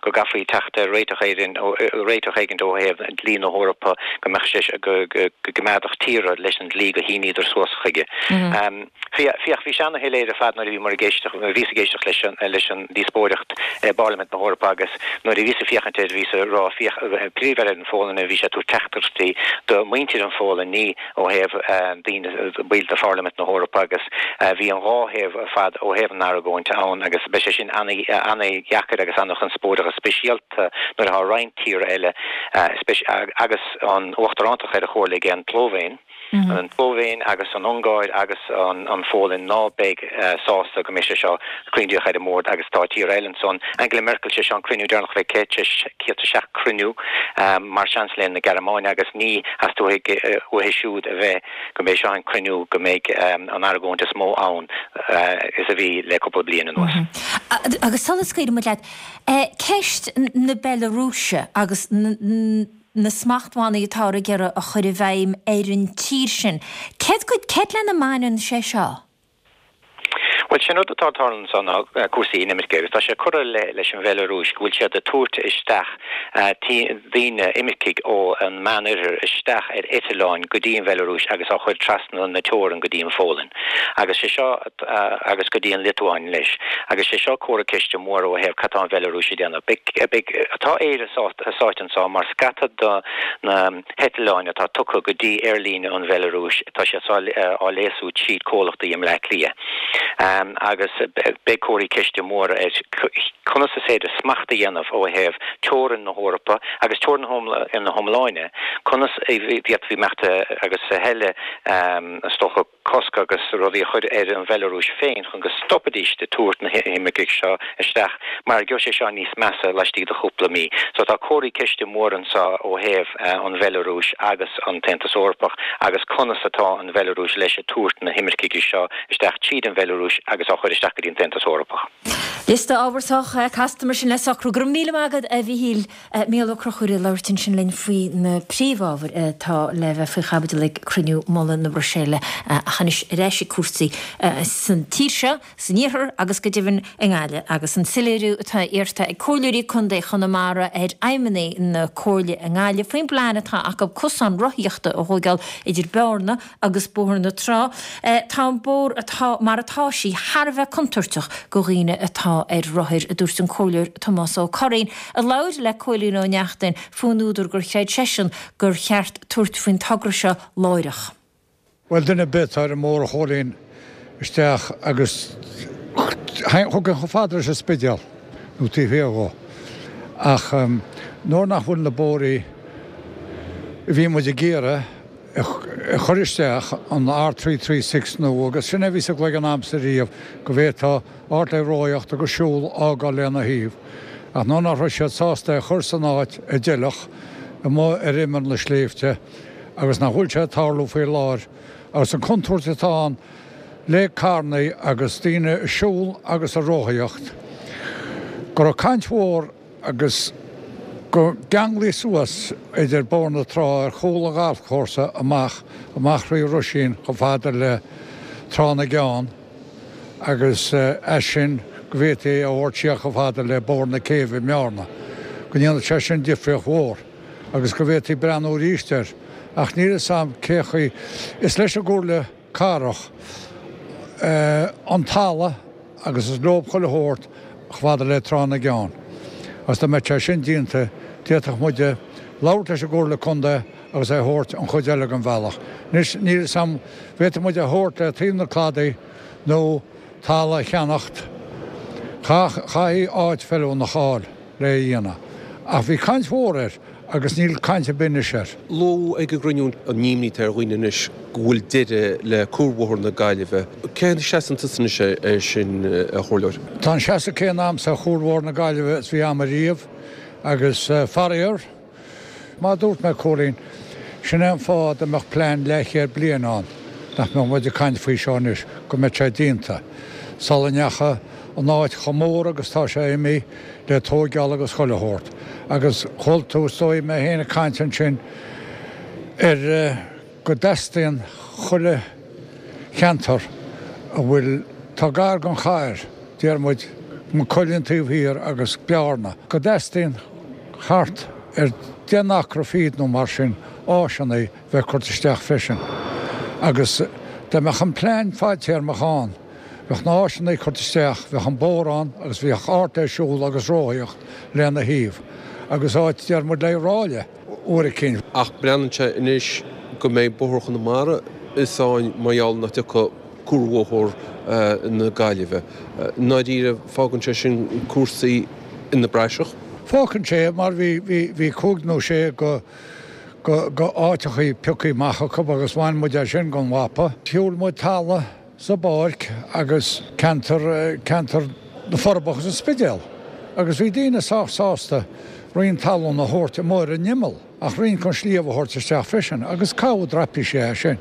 go gcaithfí teacht ar réiteach éigin réiteach éigin ó thaobh dlí na hEorpa go mbeadh sé go gcoimeádfadh tíortha leis an dlí go shíníodar suas chuige. Féach, bhí sé ana-shoiléir ar fad nuair a bhíomar ag éisteacht, nuair a bhíos ag éisteacht leis an leis an díospóireacht i bParlaimint na hEorpa agus nuair a bhíos ag féachaint air bhíos ag rá, féach, Príomh-Aire na Phólainne, bhí sé ag tabhairt teachtaireachtaí do mhuintir an Phólainn, ní ó thaobh daoine, baill de Pharlaimint na hEorpa agus bhí an dhá thaobh ar fad ó thaobh an argóint ann agus beidh sé sin an-dheacair agus an-chonspóideach speisialta nuair atá roinnt tíortha eile agus an uachtarántacht ar an Chomhairle ag an tSlóivéin. An tSlóivéin agus an Ungáir agus an Phólainn ná beidh sásta go mbeidh sé seo coindíoch ar an mbord agus tá tíortha eile ansan. Angela Merkel, sé seo an cruinniú deireanach a bheidh aici, 107 cruinniú mar Seansailéir na Gearmáine agus ní theastóidh uaithi siúd a bheith go mbeidh seo an cruinniú go mbeidh an argóint is mó ann is a bhí le cúpla bliain anuas. Agus sula scaoilfidh muid leat, ceist na Bealarúise agus na smachtbhannaí atáthar ag iarraidh a chur i bhfeidhm ar an tír sin, céard céard lena mbaineann sé seo? Bhuel, sin rud atá ag tarlú anso ná cúrsaí inimirce agus tá sé curtha i leith leis an Bheilearúis go bhfuil siad ag tabhairt isteach daoine, imircigh ó an Meánoirthear isteach ar eitleáin go dtí an Bheilearúis agus á chur trasna na teorann go dtí an Phólainn agus sé seo agus go dtí an Liotuáin leis agus sé seo comhartha ceiste mór ó thaobh cad tá an Bheilearúis ag déanamh. Beidh, tá Éire sáite anso mar scata de na heitleáin atá tugtha go dtí aerlíne an Bheilearúis, tá siad seo á léasú tríd comhlachtaí i mBleá Cliath. Agus beidh comharthaí ceiste móra ar conas is féidir smacht a dhéanamh ó thaobh teorainn na hEorpa agus teorainn na hiomláine, conas a d'fhéadfaí imeacht agus a thuilleadh, is dócha. cosc agus rudaí a chur ar an Bheilearúis féin chun go stopfaidís de tabhairt na himircigh seo isteach mar gheobhaidh sé seo níos measa laistigh de chúpla mí. So tá comharthaí ceiste mór anseo ó thaobh an Bheilearúis agus an tAontas Eorpach agus conas atá an Bheilearúis leis ag tabhairt na himircigh seo isteach tríd an Bheilearúis agus á chur isteach go dtí an tAontas Eorpach. Liosta ábharthach casta mar sin le socrú. Go raibh míle maith agat a Mhíchíl. Mícheál Ó Conchúir ag labhairt ansin linn faoi na príomhábhair atá le bheith faoi chaibidil ag cruinniú mullaigh na Bruiséile. Ach anois ar ais ag cúrsaí san tír seo, san iarthar agus go deimhin i nGaillimh agus an soiléiriú atá iarrta ag Comhairleoirí Contae Chonamara ar fheidhmeannaigh na Comhairle i nGaillimh faoin bplean atá acu cosán rothaíochta a thóigeáil idir Bearna agus Bóthar na Trá. Tá an bóthar atá mar atá sí thar a bheith contúirteach go dhaoine atá ar rothair, a dúirt an Comhairleoir Tomás Ó Curraoin, a labhair le Cóilín Ó Neachtain faoin údar gur chreid seisean gur cheart tabhairt faoin togra seo láithreach. Bhuel, duine ar bith atá ar an mbóthar a Chóilín isteach agus thugann chomh fada leis an Spidéal nó taobh thiar dhó. Ach nuair nach bhfuil na bóithrí a bhí muid ag iarraidh a chur isteach, an R336 nua, agus sin é a bhí sa gcloigeann a'msa riamh, go bhféadfá áit le rothaíocht agus siúl a fhágáil lena thaobh. Ach nuair nach raibh siad sásta é a chur san áit a d'fheilfeadh, amuigh ar imeall na sléibhte, agus nach bhfuil sé ag tarlú faoi láthair, agus an contúirt atá ann le carrannaí agus daoine ag siúl agus ag rothaíocht, go raibh caint mhór agus go gceanglaí suas idir Bóthar na Trá ar chúl an ghalfchúrsa amach amach thrí Ruisín chomh fada le Trá na gCeann agus as sin go bhféadfaí é a thabhairt siar chomh fada le Bóthar na Céibhe i mBearna, go ndéanfadh sé sin difríocht mhór agus go bhféadfaí breathnú arís air ach níl fhios a'm cé chaoi is leis an gComhairle Cathrach an talamh agus is leob chuile shórt chomh fada le Trá na gCeann. Agus dá mbeadh sé sin déanta, d'fhéadfadh muide labhairt leis an gComhairle Contae agus é a thabhairt an chuid eile den bhealach. Anois, níl fhios a'm, bhféadfadh muid é a thabhairt le taobh na cladaí nó talamh a cheannacht. Chaithfí áit feiliúnach a fháil le é a dhéanamh. Ach bhí caint mhór air agus níl caint ar bith anois air. Luadh ag an gcruinniú an imní atá ar dhaoine anois go bhfuil deireadh le Cuarbhóthar na Gaillimhe. Cén seasamh tusa anois air sin, a Chomhairleoir? Tá an seasamh céanna a'msa ar Chuarbhóthar na Gaillimhe is bhí a'm ariamh agus faraor, Mar a dúirt mé, Cóilín, sin é an fáth dá mbeadh plean leathchéad bliain ann nach mbeadh muid ag caint faoi seo anois, go mbeadh sé déanta sula ndeachaigh an áit chomh mór agus tá sé imithe le tóigeáil agus chuile shórt. Agus chuala tú, is dóigh, mé féin ag caint ansin ar go dteastaíonn chuile cheantar. a bhfuil, tá gar don chathair, deir muid, Maigh Cuilinn taobh thiar agus Bearna, go dteastaíonn thart ar 10 n-acra fichead nó mar sin áiseanna bheith curtha isteach freisin. Agus dá mbeadh an plean fadtéarmach ann, bheadh na háiseanna curtha isteach, bheadh an bóthar ann agus bheadh áit le siúl agus rothaíocht lena thaobh. Agus áit, deir muid, le ráille uair eicínt. Ach breathnaíonn sé anois go mbeidh Bóthar Chonamara i sáinn mar gheall nach dtiocfaidh Cuarbhóthar na Gaillimhe. I ndáiríre, fágann sé sin cúrsaí ina bpraiseach. Fágann sé, mar bhí, bhí, bhí cúig nó sé go, go, go áiteachaí piocthaí amach acu agus bhain muid é sin gon mhapa. Shiúil muid talamh sa bpáirc agus ceantar, ceantar na Forbacha agus an Spidéal agus bhí daoine sách sásta roinnt talún a thabhairt amuigh ar an imeall ach roinnt gon sliabh a thabhairt isteach freisin agus cabhair draipísí é sin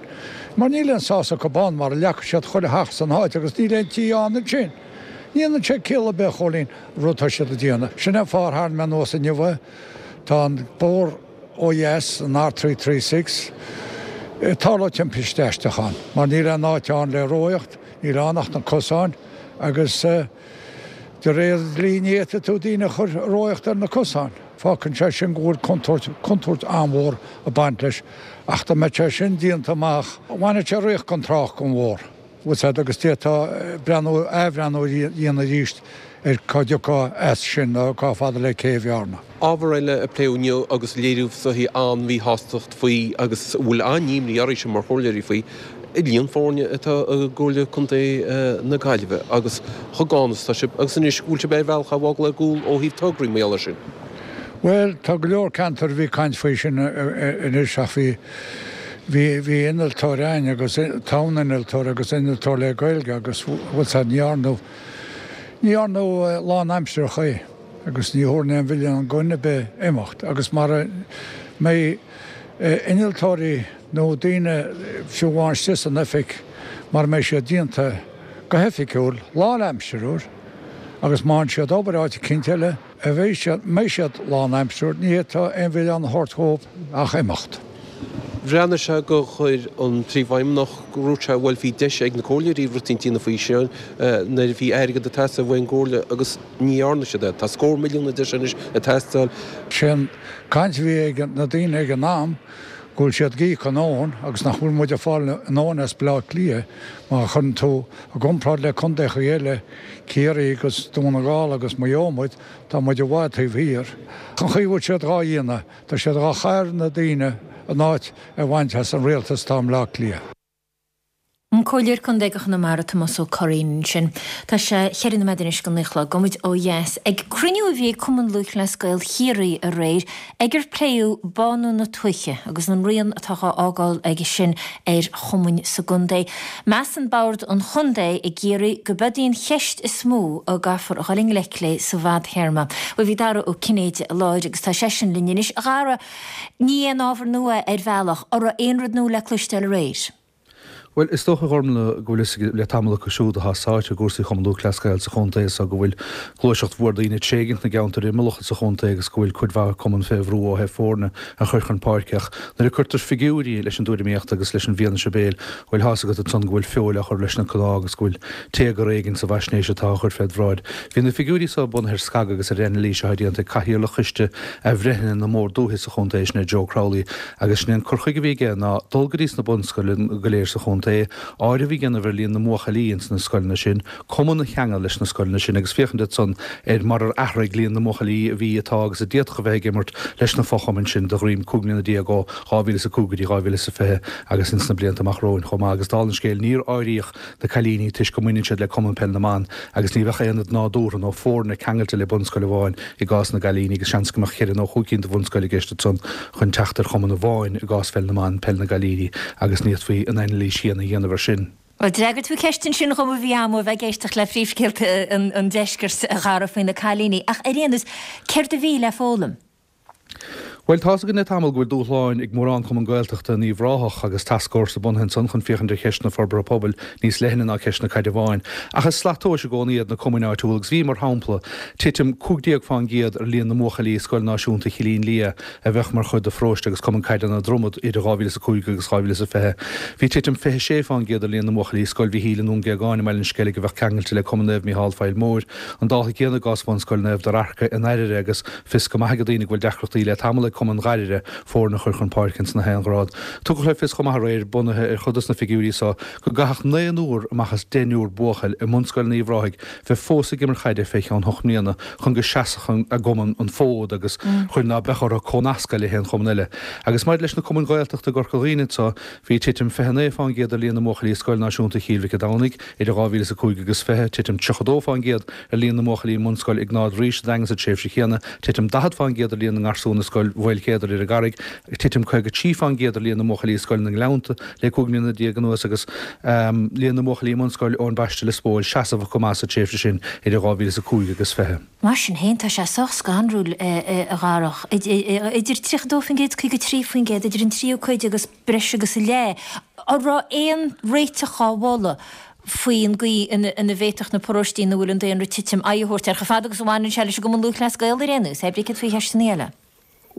mar níl aon sás acu ann mar leagfaidh siad chuile theach san áit agus níl aon tí ann ansin. Ní dhéanann sé ciall ar bith a Chóilín an rud atá siad a déanamh. Sin é an fáth ar tharraing mé anuas inniu é. Tá an bóthar ó dheas, an R336, ag tarlú timpiste aisteach ann mar níl aon áit ann le rothaíocht, níl ann ach na cosáin agus de réir dlí ní fhéadfaidh tú daoine a chur ag rothaíocht ar na cosáin. Fágann sé sin go bhfuil contúirt, contúirt an-mhór ag baint leis ach dá mbeadh sé sin déanta amach, bhainfeadh sé riocht gon trácht gon bhóthar. Bhfuil 's a'd agus d'fhéadfá breathnú, athbhreathnú a dhéanamh arís ar cá dtiocfá as sin nó cá fada le Cé Bhearna. Ábhar eile a pléadh inniu agus léiríodh is dóichí an-mhíshástacht faoi agus a bhfuil an-imní oraibhse mar chomhairleoirí faoi, líon foirne atá i gComhairle Contae na Gaillimhe agus chomh gann is atá sibh agus anois go bhfuil sibh ar bhealach á bhfágáil ar gcúl ó thaobh tograí mar gheall air sin. Bhuel, tá go leor ceantar a bhí caint faoi sin anois ach bhí, bhí, bhí innealtóir a'ainn agus tá ann innealtóir agus innealtóir le Gaeilge agus bhfuil 's a'd ní dhearnadh, ní dhearnadh lánaimsearach é agus ní thabharfainn aon mhilleán do dhuine ar bith imeacht agus mara mbeidh innealtóirí nó daoine fiú amháin istigh san oifig mara mbeidh siad déanta go hoifigiúil lánaimsearach agus má fhaigheann siad obair áit eicínt eile, a bheidh siad, mbeidh siad lánaimsearach, ní fhéadfá aon mhilleán a thabhairt dhóibh ach imeacht. Bhreathnaigh sé gur chuir an Príomhfheidhmeannach, go ndúirt sé, bhuel bhí deis ag na comhairleoirí rud éicint a dhéanamh faoi sin nuair a bhí airgead ag teastáil uaidh an gcomhairle agus ní dhearna siad é. Tá scór milliún a deir sé anois ag teastáil. Sé an caint a bhí ag na daoine ag an am go bhfuil siad ag íoc a ndóthain agus nach bhfuil muid ag fáil a ndóthain as Baile Átha Cliath má chuireann tú i gcomparáid le contaechaí eile, Ciarraí agus Dún na nGall agus Maigh Eo muid, tá muid i bhfad taobh thiar. An chaoi a bhfuil siad dhá dhéanamh, tá siad dhá chaitheamh ar na daoine an áit a bhaint as an rialtas atá i mBleá Cliath. An Comhairleoir Contae do Chonamara Tomás Ó Curraoin ansin. Tá sé cheithre nóiméad anois go naoi a chlog. Gabhfaidh muid ó dheas ag cruinniú a bhí ag Cumann Lúthchleas Gael Chiarraí aréir ag ar pléadh bánú na tuaithe agus an rian atá dhá fhágáil aige sin ar chumainn sa gcontae. Measann Bord an Chontae i gCiarraí go b'iod í an cheist is mó a gcaithfear a dhul i ngleic léi sa bhfadthéarma. Bhuel bhí Dara Ó Cinnéide i láthair agus tá seisean linn anois. A Dhara, ní aon ábhar nua ar bhealach, an raibh aon rud nua le cloisteáil aréir? Bhuel, is dócha, a Ghormlaith, go bhfuil fhios ag le tamall acu siúd atá sáite i gcúrsaí Chumann Lúthchleas Gael sa chontae so go bhfuil gluaiseacht mhór daoine ag tréigint na gceantar imeallach sa chontae agus go bhfuil cuid mhaith cumann fé bhrú ó thaobh foirne a chur chun páirce. Ach nuair a cuirtear figiúirí leis an dtuairimíocht agus leis an bhfianaise béil, bhuel, tá's agat ansan go bhfuil feoil á chur leis na cnámha agus go bhfuil téagar éigin sa bhfaisnéis atá á chur féd bhráid. Bhí na figiúirí so bunaithe ar scagadh agus ar anailís atá déanta ag Cathaoirleach Choiste Athbhreithnithe na mBord Dúiche sa chontae, sin é Joe Crowley, Agus sin é an cur chuige a bhí aige ná dul go dtí sna bunscoileanna go léir sa chontae, áireamh a dhéanamh ar líon na mbuachaillí ins na scoileanna sin, cumann a cheangal leis na scoileanna sin agus féachaint ansan ar mar ar athraigh líon na mbuachaillí a bhí, atá agus a d'fhéadfadh a bheith ag imirt leis na fochumainn sin de dhroim 15 mbliana ó 2005 go dtí 2020 agus ins na blianta amach romhainn chomh maith. Agus dála an scéil níor áiríodh na cailíní toisc go mbaineann siad le Cumann Peil na mBan agus ní bheadh aonad nádúrtha nó foirne ceangailte le bunscoil amháin i gcás na gcailíní agus seans go mbeadh cheithre nó chúig cinn de bhunscoil i gceist ansan chun teacht ar chumann amháin i gcás pheil na mban, peil na gcailíní agus ní fhéadfaí an anailís chéanna a dhéanamh air sin. Bhuel, d'fhreagair tú ceist ansin dhom a bhí a'm ó bheith ag éisteacht le príomhscéalta an deiscirt, a Dhara, faoi na cailíní. Ach ar aon nós, céard a bhí le foghlaim? Bhuel, tá's againn le tamall go bhfuil dúshláin ag mórán cumann Gaeltachta in Uíbh Ráthach agus tascfhórsa bunaithe ansan chun féachaint ar cheist na forbartha pobail níos leithne ná ceist na caide amháin. Ach is slat tomhais i gcónaí iad na cumainn áitiúla agus bhí, mar shampla, titim 15% ar líon na mbuachaillí i Scoil Náisiúnta Chillín Liath a bheadh mar chuid de pharóiste agus cumann caide na Dromad idir 2005 agus 2020. Bhí titim 26% ar líon na mbuachaillí i Scoil Mhichíl i nDún Géagáin i mBaile an Sceilg a bheadh ceangailte le Cumann Naomh Mícheál Faill Móir. An dála céanna i gcás Bhunscoil Naomh Dararca in Airire agus Fios go maith ag daoine go bhfuil deacrachtaí le tamall ag Cumann Ghairire foirne a chur chun páirce ins na haon ghrád. Tugadh le fios chomh maith aréir, bunaithe ar chuid dos na figiúirí so, go gcaithfeadh naonúr amach as deichniúr buachaill i mbunscoil Uíbh Ráthaigh bheith fós ag imirt chaide fé cheann hocht mbliana chun go seasfadh a gcumann an fód agus chun ná beadh orthu comhnascadh le haon chumann eile. Agus maidir leis na cumainn Ghaeltachta i gCorca Dhuibhne anso, bhí titim 29% ar líon na mbuachaillí i Scoil Náisiúnta Chill Mhic a' Domhnaigh idir 2005 agus 20, titim 32% ar líon na mbuachaillí i mbunscoil Iognáid Rís sa Daingean sa tréimhse chéanna, titim 40% ar líon na ngarsún i Scoil Mhaoilchéadair ar an gCarraig, titim 53% ar líon na mbuachaillí i Scoil na nGleannta le 15 mbliana anuas agus líon na mbuachaillí i mbunscoil Eoin Baiste Lios Póil seasamhach go maith sa tréimhse sin idir 2005 agus 20. Mar sin féin, tá sé sách scanrúil, a Dharach, idir 32% is 53%, idir an tríú cuid agus breis agus a leath. An raibh aon réiteach á mholadh faoin gcaoi ina bhféadfadh na paróistí ina bhfuil an daonra ag titim aghaidh a thabhairt air, chomh fada agus a bhaineann sé leis an gCumann Lúthchleas Gael ar aon nós, pé céard faoi cheisteanna eile.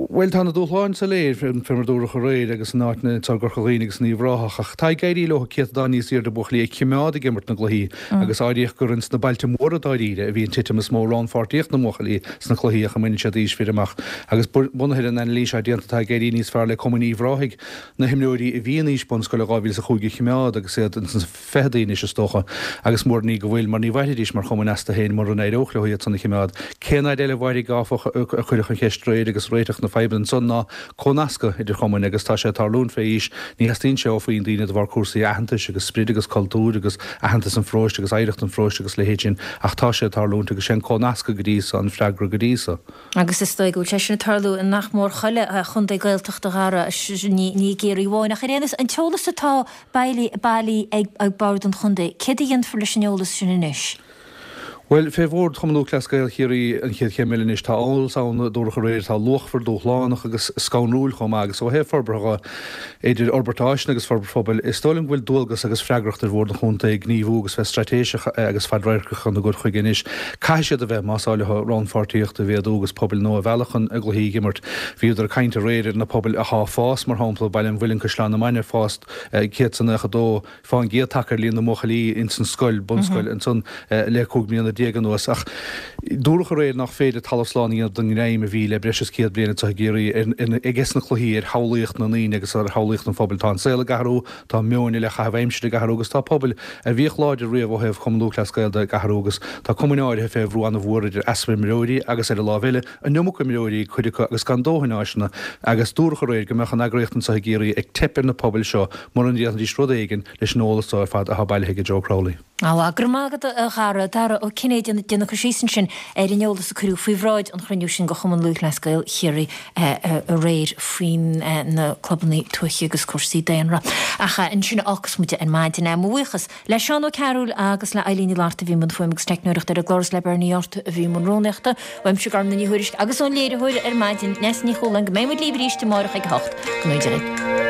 Bhuel, tá na dúshláin soiléir, fé mar dúradh aréir, agus in áiteanna anseo i gCorca Dhuibhne agus in Uíbh Ráthach, ach tá ag éirí leo céatadán níos airde buachaillí a chimeád ag imirt na gcluichí agus áiríodh gur ins na bailte móra dáiríre a bhí an titim is mó rannpháirtíocht na mbuachaillí sna cluichí ach a mbaineann siad aois fir amach. Agus bunaithe ar an anailís atá déanta tá ag éirí níos fearr le cumainn Uíbh Ráthaigh na himreoirí a bhí in aois bunscoile 2005 a chimeád agus iad ins na fichidí anois is dócha, agus mór an ní go bhfuil, mar ní mhairfidís mar chumainn astu féin mura n-éireodh leo iad san a chimeád. Cén fhaid eile a mhairfidh, áfach, a cuireadh an cheist aréir agus réiteach na fadhbanna ansan ná comhnascadh idir chumainn agus tá sé ag tarlúint fé aois, ní theastaíonn sé ó phuinn daoine de bharr cúrsaí aitheantais agus sprid agus cultúir agus aitheantas an pharóiste agus oidhreacht an pharóiste agus leithéid sin ach tá sé ag tarlúint agus sé an comhnascadh go dtí so an freagra go dtí so. Agus is dóigh go bhfuil sé sin ag tarlú i nach mór chuile chontae Gaeltachta, a Dhara, ní i gCiarraí amháin. Ach ar aon nós, an t-eolas atá bailithe ag Bord an Chontae, céard a dhéanfar leis an eolas sin anois? Bhuel, fé Bhord Chumann Lúthchleas Gael Chiarraí an chéad chéim eile anois. Tá eolas ann, a dúradh aréir, atá luachmhar, dúshlánach agus scanrúil chomh maith. Agus ó thaobh forbartha dhe, idir fhorbairt áiseanna agus forbairt phobail, is dóigh liom go bhfuil dualgas agus freagracht ar Bhord an Chontae gníomhú agus bheith straitéiseach agus fadradharcach ina gcur chuige anois. Caithfidh siad a bheith, más áil leo rannpháirtíocht a mhéadú agus pobail nua a mhealladh chun a gcluichí a imirt. Bhíodar ag caint aréir ar na pobail athá ag fás, mar shampla, Baile an Mhuilinn, Caisleán na Mainge, fás 192% tagtha ar líon na mbuachaillí ins an scoil, bunscoil, ansan le 15 mbliana anuas. Ach dúradh aréir nach féidir talamh slán a dhéanamh den ngreim a bhí le breis is 100 bliain anseo i gCiarraí ages na cluichí ar shamhlaíocht na ndaoine agus ar shamhlaíocht an phobail. Tá an saol ag athrú, tá meoin i leith chaitheamh aimsire ag athrú agus tá pobail a bhíodh láidir riamh ó thaobh Chumann Lúthchleas Gael de ag athrú agus tá cumainn áirithe fé bhrú an-mhór idir easpa imreoirí agus ar an lámh eile an iomarca imreoirí ag cuid acu agus gan dóthain áiseanna agus dúradh aréir go mbeadh an eagraíocht anseo i gCiarraí ag teip ar na pobail seo mura ndéanfaidís rud éigin leis an eolas seo ar fad atá bailithe ag Joe Crowley. Á, go raibh maith agat a Dhara. Dara Ó Cinnéide ag déanamh cur síos ansin ar an eolas a cuireadh faoi bhráid an chruinniú sin de Chumann Lúthchleas Gael Chiarraí aréir faoi na clubanna tuaithe agus cúrsaí daonra. Ach ansin a fhágfas muid ar maidin é. Mo bhuíochas le Seán Ó Cearúil agus le Eilín Ní Fhlatharta a bhí i mbun fuaime agus teicneoireachta ar an gclár is le Bernie Art a bhí i mbun rúnaíochta. Uaimse Gormfhlaith Ní Thuairisg agus ón léiritheoir ar maidin, Neasa Ní Chualáin, go mbeidh muid libh arís amárach ag a hocht. Go ngnóthaí Dia dhaoibh.